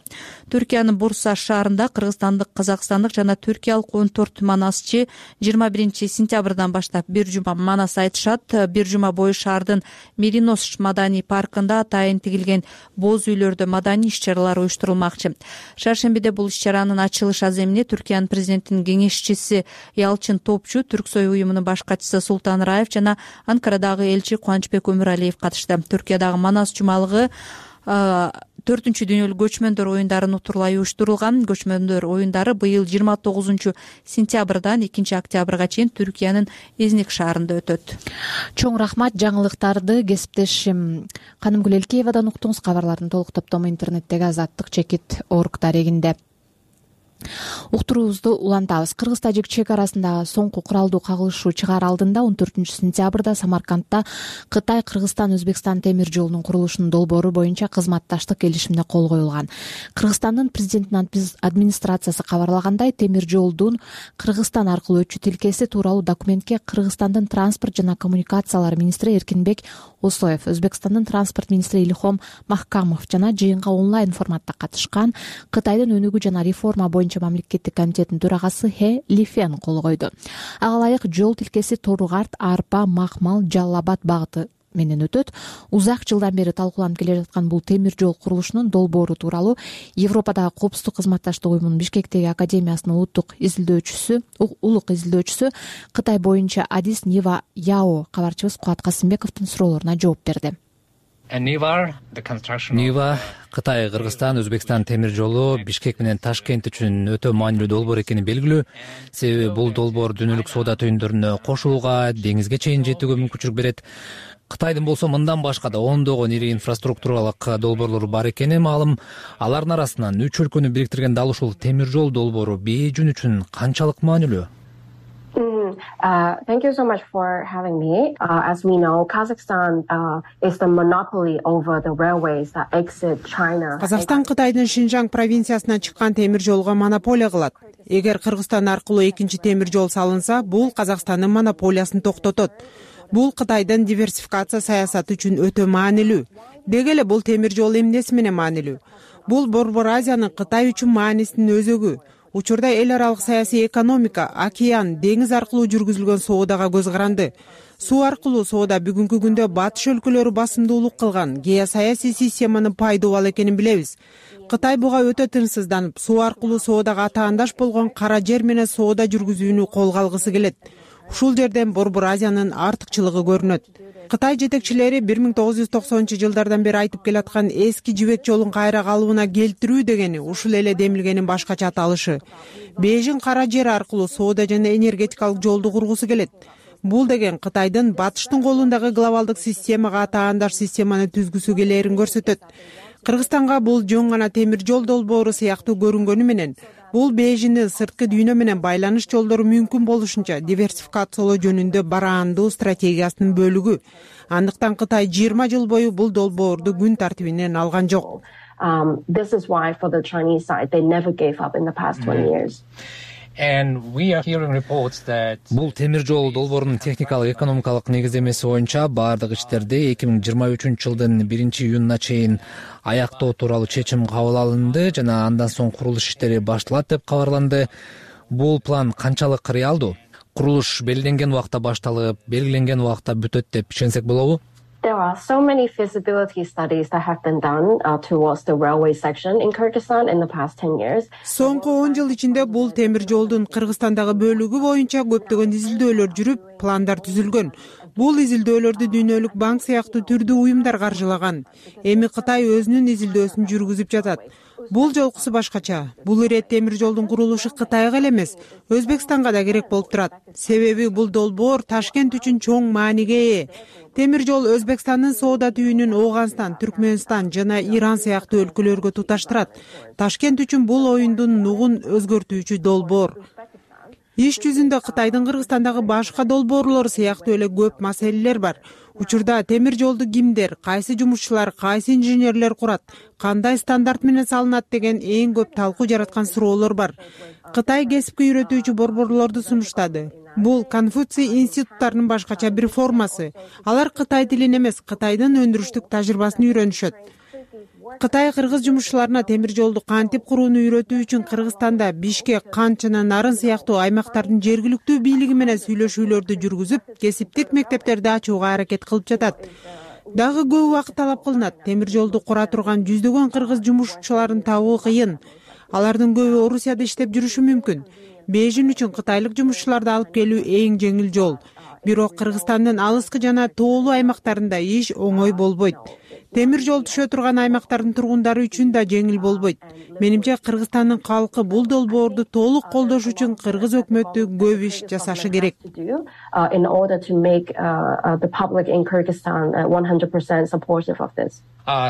Түркиянын Бурса шаарында кыргызстандык, казакстандык жана түркиялык 14 манасчы 21 сентябрдан баштап бир жума манас айтышат. Бир жума бою шаардын Меринос маданий паркында атайын тигилген боз үйлөрдө маданий иш-чаралар уюштурулмакчы. Шаршембиде бул иш-чаранын ачылыш аземине Түркиянын президентинин кеңешчиси Ялчин Топчу, Түрксой уюмунун баш катчысы Султан Раев жана Анкарадагы элчи Кубанычбек Өмүралиев катышты. Түркиядагы манас жумалыгы 4-чү дүйнөлүк көчмөндөр оюндарын утурлай уюштурулган. Көчмөндөр оюндары быйыл 29 сентябрдан 2 октябрга чейин Түркиянын Изник шаарында өтөт. Чоң рахмат. Жаңылыктарды кесиптешим Канымгүл Элкеевадан уктуңуз. Кабарлардын толук топтому интернеттеги azattik.org дарегинде. Уктуруубузду улантабыз. Кыргыз-тажик чек арасындагы соңку куралдуу кагылышуу чыгаар алдында 14 сентябрда Самаркандта Кытай, Кыргызстан, Өзбекстан темир жолунун курулушунун долбоору боюнча кызматташтык келишимине кол коюлган. Кыргызстандын президентинин администрациясы кабарлагандай, темир жолдун Кыргызстан аркылуу өтчү тилкеси тууралуу документке Кыргызстандын транспорт жана коммуникациялар министри Эркинбек Осоев, Өзбекстандын транспорт министри Илхом Махкамов жана жыйынга онлайн форматта катышкан Кытайдын өнүгүү жана реформа боюнча мамлекеттик комитеттин төрагасы Хэ Лифен кол койду. Ага ылайык жол тилкеси Торгарт, Арпа, Махмал, Жалал Абад багыты менен өтөт. Узак жылдан бери талкууланып келе жаткан бул темир жол курулушунун долбоору тууралуу Европадагы коопсуздук кызматташтык уюмунун Бишкектеги академиясынын улуттук изилдөөчүсү Кытай боюнча Адис Нива Яо кабарчыбыз Кубат Касымбековдун суроолоруна жооп берди. Нива Кытай, Кыргызстан, Өзбекстан темир жолу Бишкек менен Ташкент үчүн өтө маанилүү долбоор экени белгилүү. Себеби бул долбоор дүйнөлүк соода түйүндөрүнө кошулууга, деңизге чейин жетүүгө мүмкүнчүлүк берет. Кытайдын болсо мындан башка да ондогон ири инфраструктуралык долбоорлору бар экени маалым. Алардын арасынан 3 өлкөнү бириктирген дал ушул темир жол долбоору Бээжүн үчүн канчалык маанилүү? Thank you so much for having me. As we know, Kazakhstan is the monopoly over the railways that exit China. Казакстан Кытайдын Шинжаң провинциясынан чыккан темир жолго монополия кылат. Эгер Кыргызстан аркылуу экинчи темир жол салынса, бул Казакстандын монополиясын токтотот. Бул Кытайдын диверсификация саясаты үчүн өтө маанилүү. Деги эле бул темир жол эмнеси менен маанилүү? Бул Борбор Азиянын Кытай үчүн маанисинин өзөгү. Учурда эл аралык саясий экономика, океан, деңиз аркылуу жүргүзүлгөн соодага көз каранды. Суу аркылуу соода бүгүнкү күндө батыш өлкөлөрү басымдуулук кылган геосаясий системанын пайдуу ал экенин билебиз. Кытай буга өтө тынчсызданып, суу аркылуу соодага атаандаш болгон кара жер менен соода жүргүзүүнү колго алгысы келет. Ушул жерден Борбор Азиянын артыкчылыгы көрүнөт. Кытай жетекчилери 1990-жылдардан бери айтып келаткан эски жибек жолун кайра калыбына келтирүү дегени ушул эле демилгенин башкача аталышы. Бээжин кара жер аркылуу соода жана энергетикалык жолду кургусу келет. Бул деген Кытайдын батыштын колундагы глобалдык системага атаандаш системаны түзгүсү келээрин көрсөтөт. Кыргызстанга бул жөн гана темир жол долбоору сыяктуу көрүнгөнү менен, бул Бээжиндин сырткы дүйнө менен байланыш жолдору мүмкүн болушунча диверсификациялоо жөнүндө бараандуу стратегиясынын бөлүгү. Андыктан Кытай 20 жыл бою бул долбоорду күн тартибинен алган жок. This is why for the Chinese side they never gave up in the past 20 years. Бул темир жол долбоорунун техникалык экономикалык негиздемеси боюнча баардык иштерди 2023-жылдын 1-июнуна чейин аяктоо тууралуу чечим кабыл алынды жана андан соң курулуш иштери башталат деп кабарланды. Бул план канчалык реалдуу? Курулуш белгиленген убакта башталып, белгиленген убакта бүтөт деп ишенсек болобу? There are so many feasibility studies that have been done towards the railway section in Kyrgyzstan in the past 10 years. Соңку 10 жыл ичинде бул темир жолдун Кыргызстандагы бөлүгү боюнча көптөгөн изилдөөлөр жүрүп, пландар түзүлгөн. Бул изилдөөлөрдү Дүйнөлүк банк сыяктуу түрдүү уюмдар каржылаган. Эми Кытай өзүнүн изилдөөсүн жүргүзүп жатат. Бул жолкусу башкача. Бул ирет темир жолдун курулушу Кытайга эле эмес, Өзбекстанга да керек болуп турат. Себеби бул долбоор Ташкент үчүн чоң мааниге ээ. Темир жол Өзбекстандын соода түйүнүн Ооганстан, Түркмөнстан жана Иран сыяктуу өлкөлөргө туташтырат. Ташкент үчүн бул оюндун нугун өзгөртүүчү долбоор. Иш жүзүндө Кытайдын Кыргызстандагы башка долбоорлору сыяктуу эле көп маселелер бар. Учурда темир жолду кимдер, кайсы жумушчулар, кайсы инженерлер курат, кандай стандарт менен салынат деген эң көп талкуу жараткан суроолор бар. Кытай кесипке үйрөтүүчү борборлорду сунуштады. Бул Конфуций институттарынын башкача бир формасы. Алар Кытай тилин эмес, Кытайдын өндүрүштүк тажрыйбасын үйрөнүшөт. Кытай кыргыз жумушчуларына темир жолду кантип курууну үйрөтүү үчүн Кыргызстанда Бишкек, Кант жана Нарын сыяктуу аймактардын жергиликтүү бийлиги менен сүйлөшүүлөрдү жүргүзүп, кесиптик мектептерди ачууга аракет кылып жатат. Дагы көп убакыт талап кылынат. Темир жолду кура турган жүздөгөн кыргыз жумушчуларын табуу кыйын. Алардын көбү Орусияда иштеп жүрүшү мүмкүн. Бейжин үчүн кытайлык жумушчуларды алып келүү эң жеңил жол. Бирок Кыргызстандын алыскы жана тоолуу аймактарында иш оңой болбойт. Темир жол түшө турган аймактардын тургундары үчүн да жеңил болбойт. Менимче Кыргызстандын калкы бул долбоорду толук колдош үчүн кыргыз өкмөтү көп иш жасашы керек. In order to make the public in Kyrgyzstan 100% supportive of this.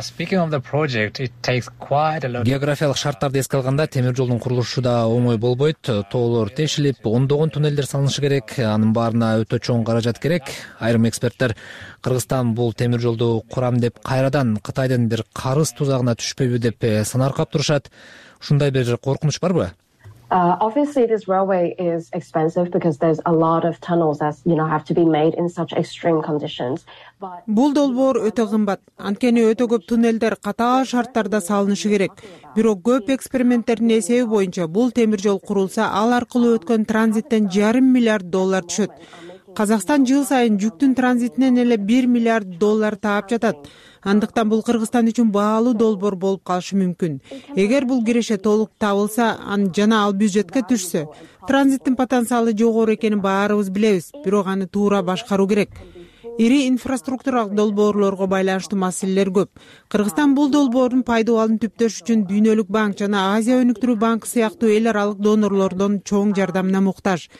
Speaking of the project, it takes quite a lot. Географиялык шарттарды эске алганда темир жолдун курулушу да оңой болбойт. Тоолор тешилип, ондогон туннелдер салынышы керек. Анын баарына өтө чоң каражат керек. Айрым эксперттер Кыргызстан бул темир жолду курам деп кайрадан Кытайдын бир карыз тузагына түшпөйбү деп санаркап турушат. Ушундай бир коркунуч барбы? Obviously, this railway is expensive because there's a lot of tunnels that have to be made in such extreme conditions. Бул долбоор өтө кымбат. Анткени өтө көп туннелдер катаал шарттарда салынышы керек. Бирок көп эксперименттердин эсеби боюнча бул темир жол курулса, ал аркылуу өткөн транзиттен $1,5 миллиард түшөт. Казакстан жыл сайын жүктүн транзитинен эле $1 миллиард таап жатат. Андыктан бул Кыргызстан үчүн баалуу долбоор болуп калышы мүмкүн. Эгер бул киреше толук табылса, жана ал бюджетке түшсө, транзиттин потенциалы жогору экенин баарыбыз билебиз, бирок аны туура башкаруу керек. Ири инфраструктуралык долбоорлорго байланыштуу маселелер көп. Кыргызстан бул долбоордун пайдаланууын түптөш үчүн Дүйнөлүк банк жана Азия өнүктүрүү банкы сыяктуу эл аралык донорлордон чоң жардамына муктаж.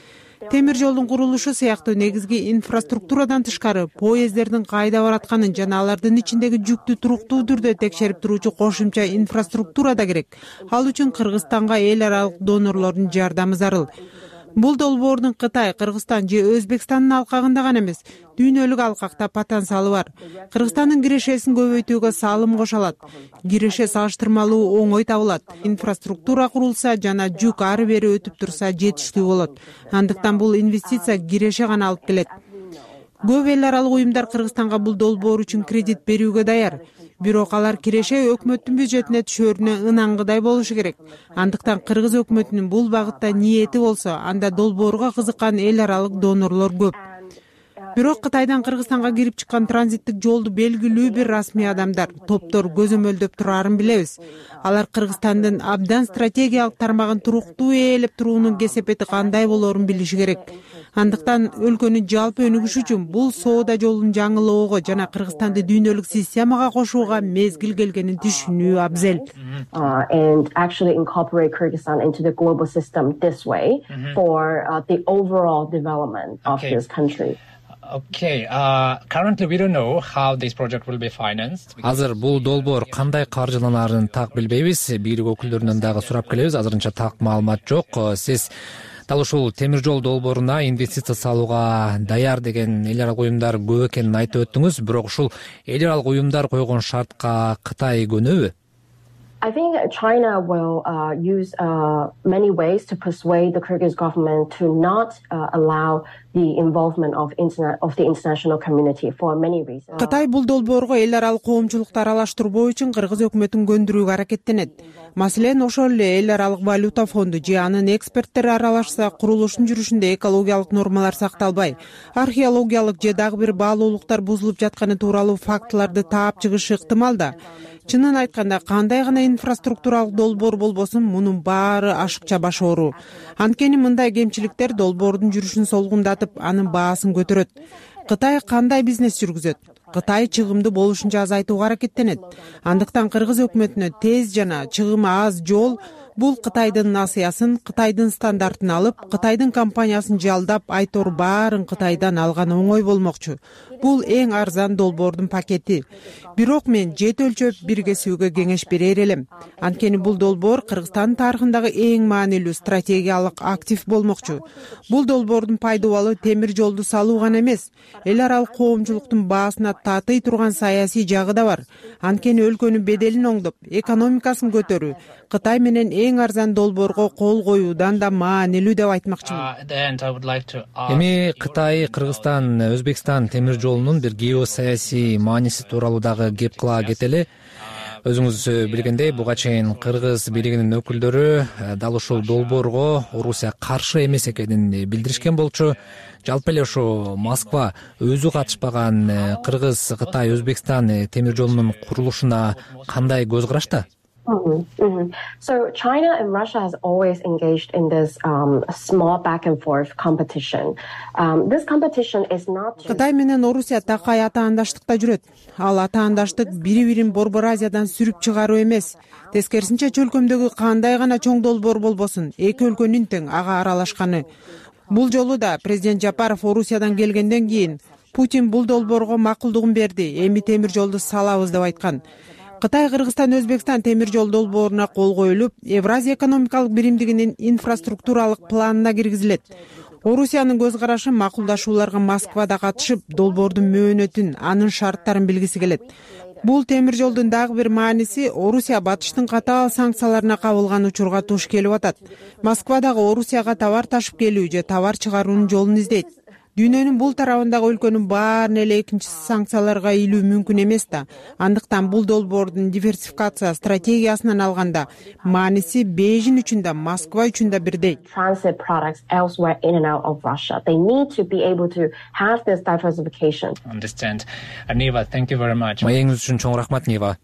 Темир жолдун курулушу сыяктуу негизги инфраструктурадан тышкары поезддердин кайда баратканын жана алардын ичиндеги жүктү туруктуу түрдө текшерип туруучу кошумча инфраструктура да керек. Ал үчүн Кыргызстанга эл аралык донорлордун жардамы зарыл. Бул долбоордун Кытай, Кыргызстан же Өзбекстандын алкагында гана эмес, дүйнөлүк алкакта потенциалы бар. Кыргызстандын кирешесин көбөйтүүгө салым кошо алат. Киреше салыштырмалуу оңой табылат. Инфраструктура курулса жана жүк ары бери өтүп турса жетиштүү болот. Андыктан бул инвестиция киреше гана алып келет. Көп эл аралык уюмдар Кыргызстанга бул долбоор үчүн кредит берүүгө даяр. Бирок алар киреше өкмөттүн бюджетине түшөрүнө ынангыдай болушу керек. Андыктан кыргыз өкмөтүнүн бул багытта ниети болсо, анда долбоорго кызыккан эл аралык донорлор көп. Бирок Кытайдан Кыргызстанга кирип чыккан транзиттик жолду белгилүү бир расмий адамдар, топтор көзөмөлдөп турарын билебиз. Алар Кыргызстандын абдан стратегиялык тармагын туруктуу ээлеп туруунун кесепети кандай болоорун билиши керек. Андыктан өлкөнүн жалпы өнүгүшү үчүн бул соода жолун жаңылоого жана Кыргызстанды дүйнөлүк системага кошууга мезгил келгенин түшүнүү абзел. And actually incorporate Kyrgyzstan into the global system this way for the overall development of this country. Okay. Currently we don't know how this project will be financed. Азыр бул долбоор кандай каржыланарын так билбейбиз. Бийлик өкүлдөрүнөн дагы сурап келебиз. Азырынча так маалымат жок. Сиз дал ушул темир жол долбооруна инвестиция салууга даяр деген эл аралык уюмдар көп экенин айтып өттүңүз. Бирок ушул эл аралык уюмдар койгон шартка Кытай көнөбү? I think China will use many ways to persuade the Kyrgyz government to not allow the involvement of the international community for many reasons. Кытай бул долбоорго эл аралык коомчулукту аралаштырбоо үчүн кыргыз өкмөтүн көндүрүүгө аракеттенет. Маселен, ошол эле эл аралык валюта фонду же анын эксперттери аралашса, курулуштун жүрүшүндө экологиялык нормалар сакталбай, археологиялык же дагы бир баалуулуктар бузулуп жатканы тууралуу фактыларды таап чыгышы ыктымал да. Чынын айтканда, кандай гана инфраструктуралык долбоор болбосун, мунун баары ашыкча баш оору. Анткени мындай кемчиликтер долбоордун жүрүшүн солгундатып, анын баасын көтөрөт. Кытай кандай бизнес жүргүзөт? Кытай чыгымды болушунча азайтууга аракеттенет. Андыктан кыргыз өкмөтүнө тез жана чыгымы аз жол бул Кытайдын насыясын, Кытайдын стандартын алып, Кытайдын компаниясын жалдап, айтор баарын Кытайдан алган оңой болмокчу. Бул эң арзан долбоордун пакети. Бирок мен жет өлчөп бир кесүүгө кеңеш берер элем. Анткени бул долбоор Кыргызстан тарыхындагы эң маанилүү стратегиялык актив болмокчу. Бул долбоордун пайдабалы темир жолду салуу гана эмес, эл аралык коомчулуктун баасына татый турган саясий жагы да бар. Анткени өлкөнүн беделин оңдоп, экономикасын көтөрүү Кытай менен эң арзан долбоорго кол коюудан да маанилүү деп айтмакчымын. Эми Кытай, Кыргызстан, Өзбекстан темир жолунун бир геосаясий мааниси тууралуу дагы кеп кыла кетели. өзүңүз билгендей буга чейин кыргыз бийлигинин өкүлдөрү дал ушул долбоорго Орусия каршы эмес экенин билдиришкен болчу. Жалпы эле ушу Москва өзү катышпаган Кыргыз, Кытай, Өзбекстан темир жолунун курулушуна кандай көз карашта? So China and Russia has always engaged in this small back and forth competition. This competition is not just... Кытай менен Орусия такай атаандаштыкта жүрөт. Ал атаандаштык бири-бирин Борбор Азиядан сүрүп чыгаруу эмес. Тескерисинче чөлкөмдөгү кандай гана чоң долбоор болбосун, эки өлкөнүн тең ага аралашканы. Бул жолу да президент Жапаров Орусиядан келгенден кийин Путин бул долбоорго макулдугун берди. Эми темир жолду салабыз деп айткан. Кытай, Кыргызстан, Өзбекстан темир жол долбооруна кол коюлуп, Евразия экономикалык биримдигинин инфраструктуралык планына киргизилет. Орусиянын көз карашы макулдашууларга Москвада катышып, долбоордун мөөнөтүн, анын шарттарын билгиси келет. Бул темир жолдун дагы бир мааниси Орусия батыштын катаал санкцияларына кабылган учурга туш келип атат. Москва дагы Орусияга товар ташып келүү же товар чыгаруунун жолун издейт. Дүйнөнүн бул тарабындагы өлкөнүн баарын эле экинчи санкцияларга илүү мүмкүн эмес да. Андыктан бул долбоордун диверсификация стратегиясынан алганда мааниси Бейжин үчүн да, Москва үчүн да бирдей. Transit products elsewhere in and out of Russia. They need to be able to have this diversification. Understand. Niva, thank you very much. Маегиңиз үчүн чоң рахмат, Нива.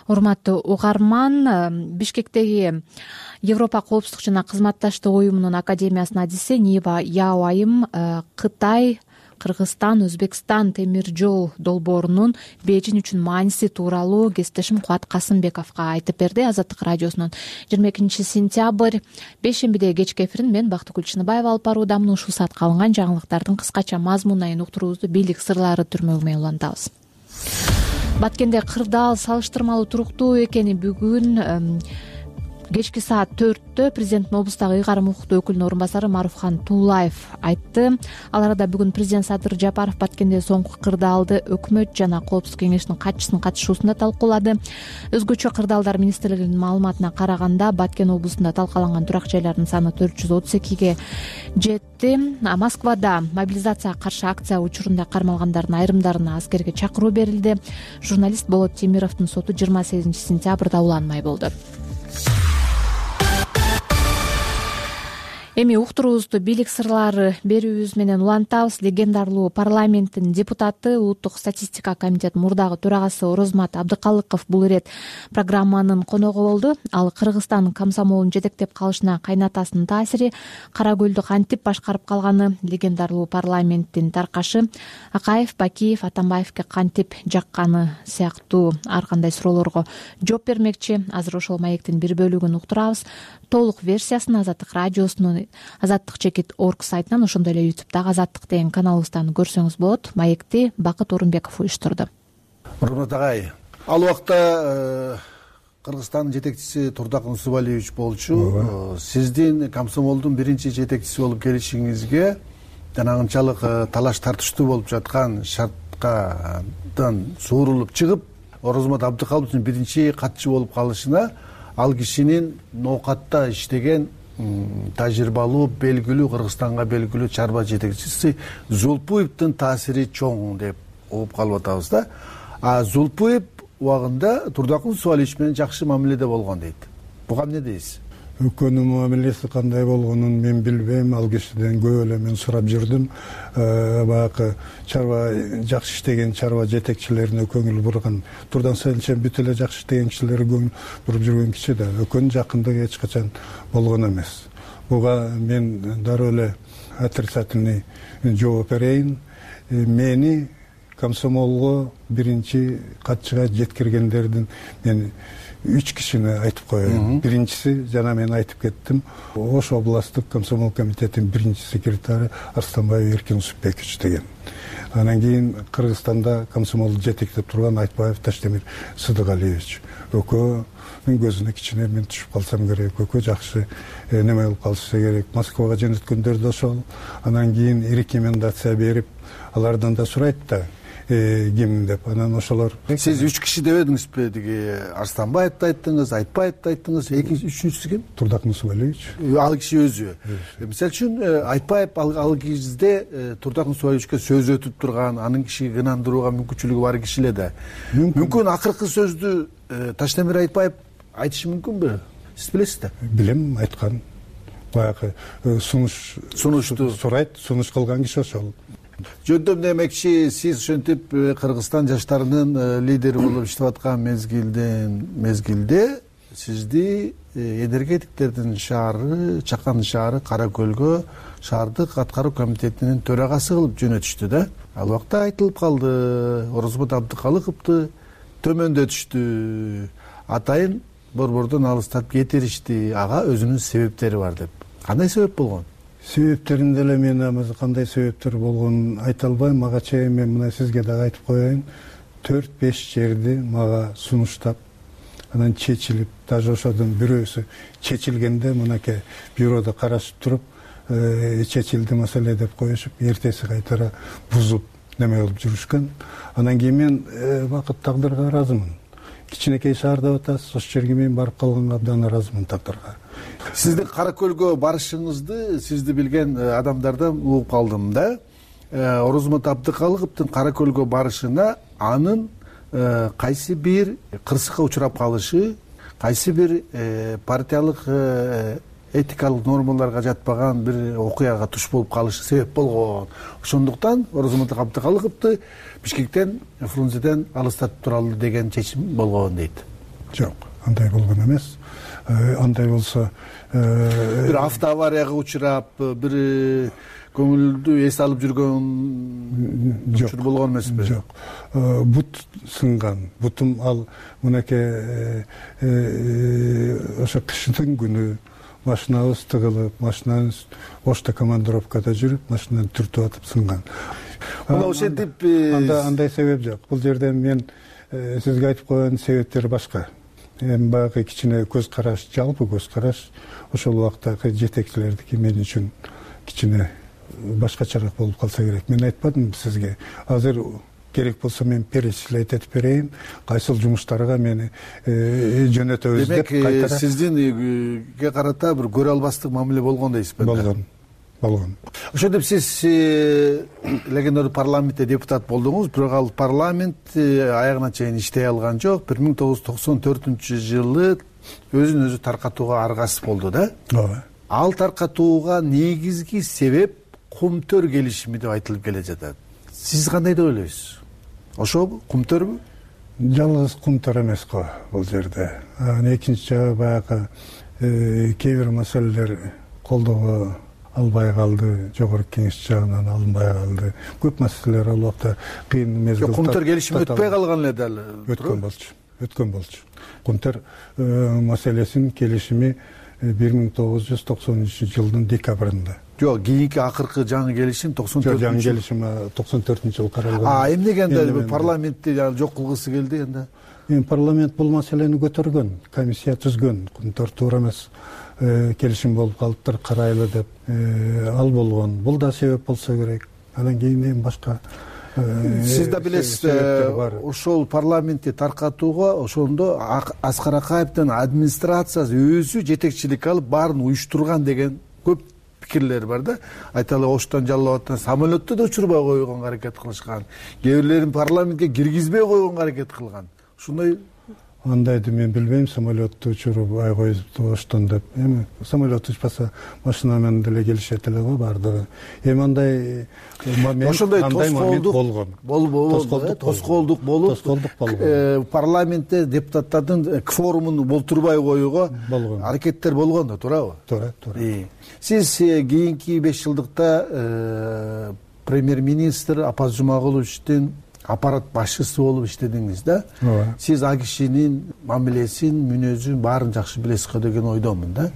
Урматтуу угарман, Бишкектеги Европа коопсуздук жана кызматташтык уюмунун академиясынын адиси Нива Яоайым Кытай, Кыргызстан, Өзбекстан темир жол долбоорунун Бейжин үчүн мааниси тууралуу кесиптешим Кубат Касымбековго айтып берди. Азаттык радиосунун 22 сентябрь бейшембиде кечки эфирин мен Бактыгүл Чыныбаева алып баруудамын. Ушул саатка алынган жаңылыктардын кыскача мазмунайын уктуруубузду бийлик сырлары түрмөгү улантабыз. Баткенде кырдаал салыштырмалуу туруктуу экени бүгүн кечки саат 4-тө президенттин облустагы ыйгарым укуктуу өкүлүнүн орун басары Маруфхан Туулаев айтты. Ал арада бүгүн президент Садыр Жапаров Баткенде соңку кырдаалды өкмөт жана коопсуздук кеңешинин катчысынын катышуусунда талкуулады. Өзгөчө кырдаалдар министрлигинин маалыматына караганда Баткен облусунда талкаланган турак жайлардын саны 432ге жетти. Москвада мобилизацияга каршы акция учурунда кармалгандардын айрымдарына аскерге чакыруу берилди. Журналист Болот Темировдун соту 28 сентябрда уланмай болду. Эми уктуруубузду бийлик сырлары берүүбүз менен улантабыз. Легендарлуу парламенттин депутаты, Улуттук статистика комитетинин мурдагы төрагасы Орозмат Абдыкалыков бул ирет программанын коногу болду. Ал Кыргызстан комсомолун жетектеп калышына кайнатасынын таасири, Кара Көлдү кантип башкарып калганы, легендарлуу парламенттин таркашы Акаев, Бакиев, Атамбаевге кантип жакканы сыяктуу ар кандай суроолорго жооп бермекчи. Азыр ошол маектин бир бөлүгүн уктурабыз. Толук версиясын Азаттык радиосунун azattik.org сайтынан, ошондой эле YouTube'дагы Азаттык деген каналыбыздан көрсөңүз болот. Маекти Бакыт Орунбеков уюштурду. Урмат агай, ал убакта Кыргызстандын жетекчиси Турдакын Усубалиевич болчу. Сиздин комсомолдун биринчи жетекчиси болуп келишиңизге жана анчалык талаш тартыштуу болуп жаткан шарткадан суурулуп чыгып, Орозмат Абдыкалыковдун биринчи катчы болуп калышына ал кишинин ноокатта иштеген тажрыйбалуу, белгилүү, Кыргызстанга белгилүү чарба жетекчиси Зулпуевдин таасири чоң деп угуп калып атабыз да. Зулпуев убагында Турдакын Усубалиевич менен жакшы мамиледе болгон дейт. Буга эмне дейсиз? Экөөнүн мамилеси кандай болгонун мен билбейм. Ал кишиден көп эле мен сурап жүрдүм. Баягы чарба жакшы иштеген чарба жетекчилерине көңүл бурган. Турдан сайынча бүт эле жакшы иштеген кишилерге көңүл буруп жүргөн киши да. Экөөнүн жакындыгы эч качан болгон эмес. Буга мен дароо эле отрицательный жооп берейин. Мени комсомолго биринчи катчыга жеткиргендердин мен 3 кишини айтып коеюн. Биринчиси жана мен айтып кеттим. Ош областтык комсомол комитетинин биринчи секретары Арстанбаев Эркин Усупбекович деген. Анан кийин Кыргызстанда комсомолду жетектеп турган Айтбаев Таштемир Сыдыгалиевич. Экөөнүн көзүнө кичине мен түшүп калсам керек. Экөө жакшы неме болуп калса керек. Москвага жөнөткөндөр да ошол. Анан кийин рекомендация берип, алардан да сурайт да. ким деп анан ошолор. Сиз 3 киши дебедиңизби? Тиги Арстанбаевди айттыңыз, Айтбаевди айттыңыз. Экинчи, үчүнчүсү ким? Турдак Нусубалиевич. Ал киши өзү. Мисалы үчүн Айтбаев ал кезде Турдак Нусубалиевичке сөз өтүп турган, анын кишиге ынандырууга мүмкүнчүлүгү бар киши эле да. Мүмкүн акыркы сөздү Таштемир Айтбаев айтышы мүмкүнбү? Сиз билесиз да? Билем, айткан. Баягы сунушту сурайт, сунуш кылган киши ошол. Жөндөм демекчи, сиз ошентип Кыргызстан жаштарынын лидери болуп иштеп аткан мезгилде сизди энергетиктердин шаары, Чакан шаары Кара Көлгө шаардык аткаруу комитетинин төрагасы кылып жөнөтүштү да. Ал убакта айтылып калды, Орозбот Абдыкалыковду төмөндөтүштү, атайын борбордон алыстатып кетиришти, ага өзүнүн себептери бар деп. Кандай себеп болгон? Себептерин деле мен кандай себептер болгонун айта албайм. Мага чейин мен мына сизге дагы айтып коеюн. 4-5 жерди мага сунуштап, анан чечилип, даже ошодон бирөөсү чечилгенде мынакей бюрода карашып туруп, чечилди маселе деп коюшуп, эртеси кайтара бузуп неме болуп жүрүшкөн. Анан кийин мен бакыт тагдырга ыраазымын. Кичинекей шаарда атасыз, ошол жерге мен барып калганга абдан ыраазымын тагдырга. Сиздин Кара Көлгө барышыңызды сизди билген адамдардан угуп калдым да. Орозмот Абдыкалыковдун Кара Көлгө барышына анын кайсы бир кырсыкка учурап калышы, кайсы бир партиялык этикалык нормаларга жатпаган бир окуяга туш болуп калышы себеп болгон. Ошондуктан Орозмот Абдыкалыковду Бишкектен, Фрунзеден алыстатып туралы деген чечим болгон дейт. Жок, андай болгон эмес. Андай болсо бир автоаварияга учурап, бир көңүлдү эс алып жүргөн учур болгон эмеспи? Жок. Бут сынган. Бутум ал мынакей ошо кыштын күнү машинабыз тыгылып, машинабыз ошто командировкада жүрүп, машинаны түртүп атып сынган. Мына ошентип андай себеп жок. Бул жерде мен сизге айтып койгон себептер башка. Эми баягы кичине көз караш, жалпы көз караш ошол убактагы жетекчилердики мен үчүн кичине башкачараак болуп калса керек. Мен айтпадым сизге. Азыр керек болсо мен перечислять этип берейин, кайсыл жумуштарга мени жөнөтөбүз деп кайтара. Демек, сиздинге карата бир көрө албастык мамиле болгон дейсизби? Болгон. Ошентип сиз легендарлуу парламентте депутат болдуңуз, бирок ал парламент аягына чейин иштей алган жок. 1994-жылы өзүн өзү таркатууга аргасыз болду да? Ооба. Ал таркатууга негизги себеп кумтөр келишими деп айтылып келе жатат. Сиз кандай деп ойлойсуз? Ошобу, кумтөрбү? Жалгыз кумтөр эмес го бул жерде. Экинчи жагы баягы кээ бир маселелер колдоого албай калды, жогорку кеңеш жагынан алынбай калды. Көп маселелер ал убакта кыйын мезгилде. Кумтөр келишими өтпөй калган эле дал. Өткөн болчу. Кумтөр маселесинин келишими 1990-жылдын декабрында. Жок, кийинки акыркы жаңы келишим 94-жылы. Жаңы келишим 94-жылы каралган. Эмнегенде парламентти жок кылгысы келди энди? Эми парламент бул маселени көтөргөн, комиссия түзгөн, кумтөр туура эмес келишим болуп калыптыр, карайлы деп ал болгон. Бул да себеп болсо керек. Анан кийин эми башка сиз да билесиз, ошол парламентти таркатууга ошондо Аскар Акаевдин администрациясы өзү жетекчилик алып баарын уюштурган деген көп пикирлер бар да. Айталы Оштон жаллап аттан самолетту да учурбай койгонго аракет кылышкан. Кээ бирлерин парламентке киргизбей койгонго аракет кылган. Ушундай андайды мен билбейм, самолетту учурбай коюпту Оштон деп. Эми самолет учпаса машина менен деле келишет эле го баардыгы. Эми андай момент болгон. Тоскоолдук болуп, парламентте депутаттардын кворумун болтурбай коюуга аракеттер болгон да, туурабы? Туура. Сиз кийинки 5 жылдыкта премьер-министр Апаз Жумагуловичтин аппарат башчысы болуп иштедиңиз да. Сиз а кишинин мамилесин, мүнөзүн баарын жакшы билесиз го деген ойдомун да.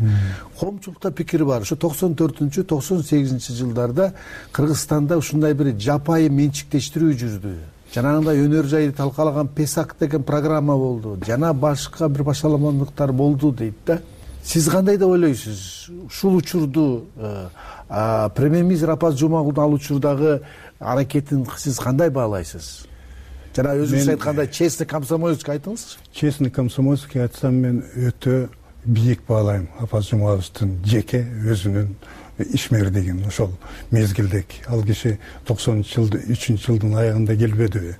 Коомчулукта пикир бар. Ошо 94-98-жылдарда Кыргызстанда ушундай бир жапайы менчиктештирүү жүрдү. Жанагындай өнөр жайды талкалаган Песак деген программа болду. Жана башка бир башаламандыктар болду дейт да. Сиз кандай деп ойлойсуз? Ушул учурду премьер-министр Апаз Жумагулдун ал учурдагы аракетин сиз кандай баалайсыз? жана өзүңүз айткандай честный комсомольский айтыңызчы. Честный комсомольский айтсам мен өтө бийик баалайм Апаз Жумабовдун жеке өзүнүн ишмердигин ошол мезгилдеги. Ал киши 93 жылдын аягында келбедиби?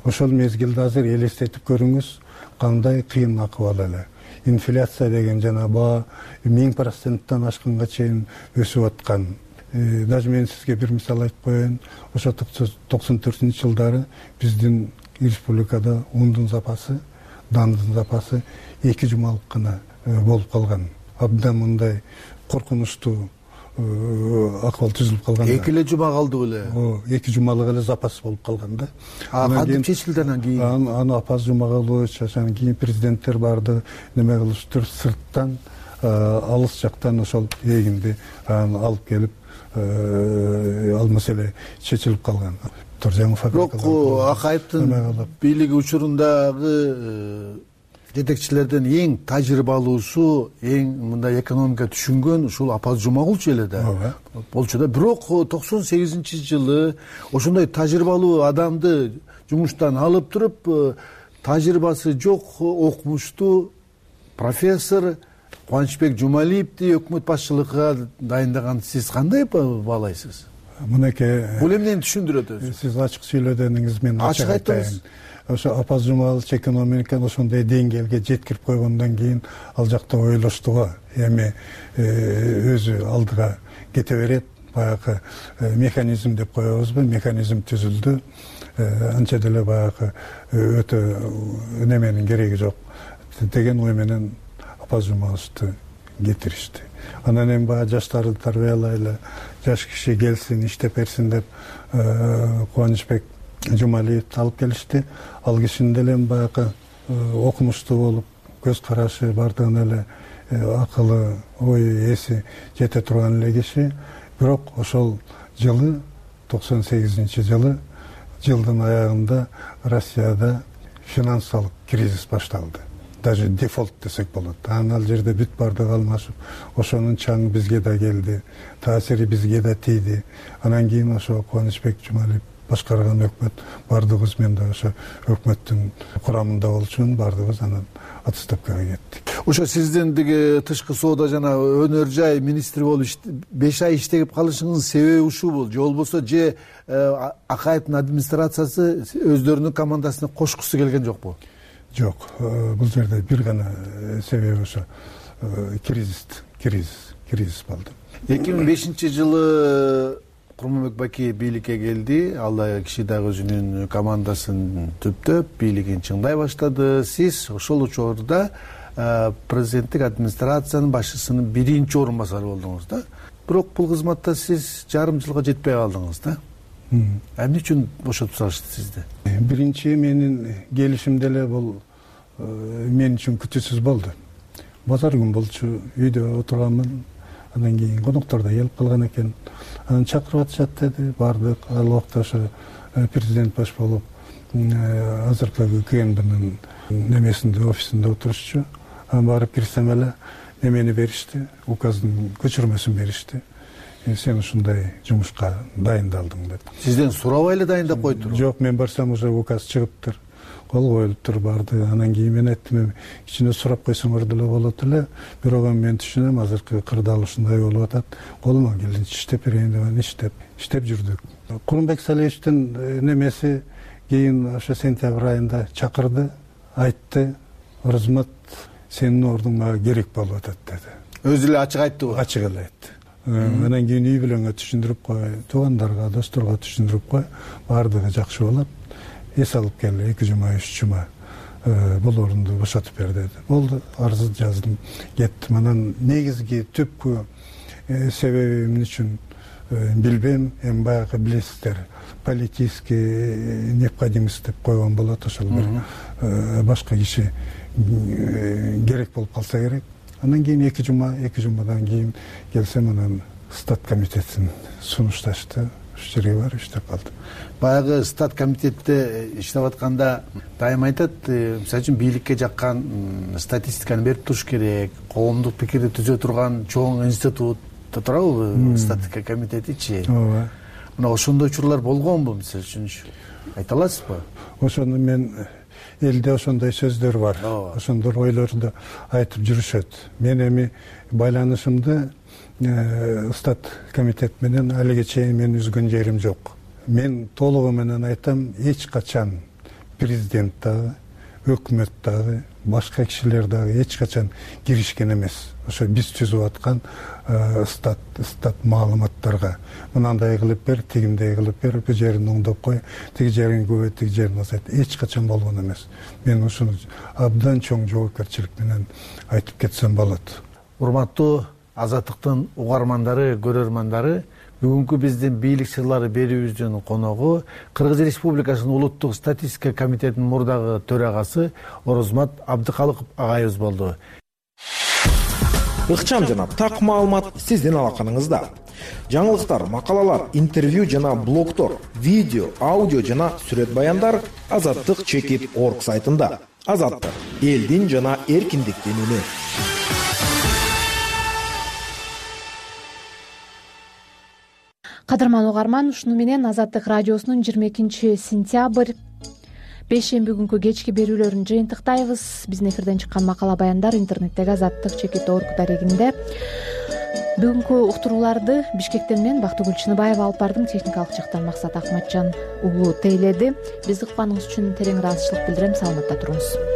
Ошол мезгилди азыр элестетип көрүңүз, кандай кыйын акыбал эле. Инфляция деген жана баа 1000%-тан ашканга чейин өсүп аткан. Даже мен сизге бир мисал айтып коеюн. Ошо 94-жылдары биздин республикада ундун запасы, дандын запасы 2 жумалык гана болуп калган. Абдан мындай коркунучтуу акыбал түзүлүп калган. 2 эле жума калды беле? 2 жумалык эле запас болуп калган да. Кантип чечилди анан кийин? Аны Апаз Жумабович, анан кийин президенттер барды неме кылыштыр, сырттан алыс жактан ошол эгинди алып келип ал маселе чечилип калган. Бирок Акаевдин бийлиги учурундагы жетекчилерден эң тажрыйбалуусу, эң мындай экономика түшүнгөн ушул Апаз Жумагулчу эле да болчу да. Бирок 98-жылы ошондой тажрыйбалуу адамды жумуштан алып туруп, тажрыйбасы жок, окумуштуу профессор Кубанычбек Жумалиевди өкмөт башчылыгына дайындаган сиз кандай баалайсыз? Мынакей бул эмнени түшүндүрөт өзү? Сиз ачык сүйлөгөнүңүз менен ачык айтайын. Ошо Апаз Жумабович экономиканы ошондой деңгээлге жеткирип койгондон кийин ал жакта ойлошту го. Эми өзү алдыга кете берет, баягы механизм деп коебузбу, механизм түзүлдү. Анча деле баягы өтө неменин кереги жок деген ой менен Апаз Жумабовичти кетиришти. Анан эми баягы жаштарды тарбиялайлы, жаш киши келсин, иштеп берсин деп Кубанычбек Жумалиевди алып келишти. Ал кишинин деле баягы окумуштуу болуп, көз карашы бардыгын эле акылы, ой эси жете турган эле киши. Бирок ошол жылы 98-жылы жылдын аягында Россияда финансылык кризис башталды. Даже дефолт десек болот. Анан ал жерде бүт бардыгы алмашып, ошонун чаңы бизге да келди, таасири бизге да тийди. Анан кийин ошо Кубанычбек Жумалиев башкарган өкмөт, бардыгыбыз мен да ошо өкмөттүн курамында болчумун, бардыгыбыз анан отставкага кеттик. Ошо сиздин тиги тышкы соода жана өнөр жай министри болуп 5 ай иштеп калышыңыздын себеби ушубу? Же болбосо же Акаевдин администрациясы өздөрүнүн командасына кошкусу келген жокпу? Жок, бул жерде бир гана себеби ошо кризис болду. 2005-жылы Курманбек Бакиев бийликке келди. Ал да киши дагы өзүнүн командасын түптөп, бийлигин чыңдай баштады. Сиз ошол учурда президенттик администрациянын башчысынын 1-орун басары болдуңуз да. Бирок бул кызматта сиз жарым жылга жетпей калдыңыз да. Эмне үчүн бошотуп салышты сизди? Биринчи менин келишим деле бул мен үчүн күтүүсүз болду. Базар күн болчу, үйдө отурганмын. Андан кийин коноктор да келип калган экен. Анан чакырып атышат деди, бардык. Ал убакта ошо президент баш болуп азыркы КНБнын немесинде, офисинде отурушчу. Анан барып кирсем эле немени беришти, указдын көчүрмөсүн беришти. Сен ушундай жумушка дайындалдың деп. Сизден сурабай эле дайындап койдур? Жок, мен барсам уже указ чыгыптыр, кол коюлуптур, барды. Анан кийин мен айттым, кичине сурап койсоңор деле болот эле. Бирок мен түшүнөм, азыркы кырдаал ушундай болуп атат. Колума келинче иштеп берейин деп иштеп жүрдүк. Курманбек Салиевичтин немеси кийин ошо сентябрь айында чакырды, айтты, Розмат, сенин ордуңа керек болуп атат деди. Өзү эле ачык айттыбы? Ачык эле айтты. Анан кийин үй бүлөңө түшүндүрүп кой, туугандарга, досторго түшүндүрүп кой, бардыгы жакшы болот. Эс алып кел, 2 жума, 3 жума бул орунду бошотуп бер деди. Болду, арыз жаздым, кеттим. Анан негизги түпкү себеби эмне үчүн билбейм, эми баягы билесиздер, политический необходимость деп койгон болот, ошол бир башка киши керек болуп калса керек. Анан кийин 2 жумадан кийин келсем, анан стат комитеттин сунушташты, ушу жерге барып иштеп калдым. Баягы стат комитетте иштеп атканда дайыма айтат, мисалы үчүн бийликке жаккан статистиканы берип туруш керек, коомдук пикирди түзө турган чоң институт турабы статистика комитетичи. Ооба. мына ошондой учурлар болгонбу, мисалы үчүнчү айта аласызбы? Ошону мен элде ошондой сөздөр бар, ошондой ойлорду айтып жүрүшөт. Мен эми байланышымды Стат комитет менен алиге чейин мен үзгөн жерим жок. Мен толугу менен айтам, эч качан президент дагы, өкмөт дагы, башка кишилер дагы эч качан киришкен эмес. Ошо биз түзүп аткан стат маалыматтарга мынандай кылып бер, тигиндей кылып бер, бул жерин оңдоп кой, тиги жерин көбөйт, тиги жерин азайт. Эч качан болгон эмес. Мен ушуну абдан чоң жоопкерчилик менен айтып кетсем болот. Урматтуу Азаттыктын угармандары, көрөрмандары, бүгүнкү биздин бийлик сырлары берүүбүздүн коногу Кыргыз Республикасынын улуттук статистика комитетинин мурдагы төрагасы Орозмат Абдыкалыков агайыбыз болду. Ыкчам жана так маалымат сиздин алаканыңызда. Жаңылыктар, макалалар, интервью жана блогтор, видео, аудио жана сүрөт баяндар azattik.org сайтында. Азаттык — элдин жана эркиндиктин үнү. Кадырман угарман, ушуну менен Азаттык радиосунун 22-сентябрь бейшемби күнкү кечки берүүлөрүн жыйынтыктайбыз. Биздин эфирден чыккан макала баяндар интернеттеги azattik.org дарегинде. Бүгүнкү уктурууларды Бишкектен мен Бактыгүл Чыныбаева алып бардым. Техникалык жактан Максат Акматжан уулу тейледи. Бизди укканыңыз үчүн терең ыраазычылык билдирем. Саламатта туруңуз.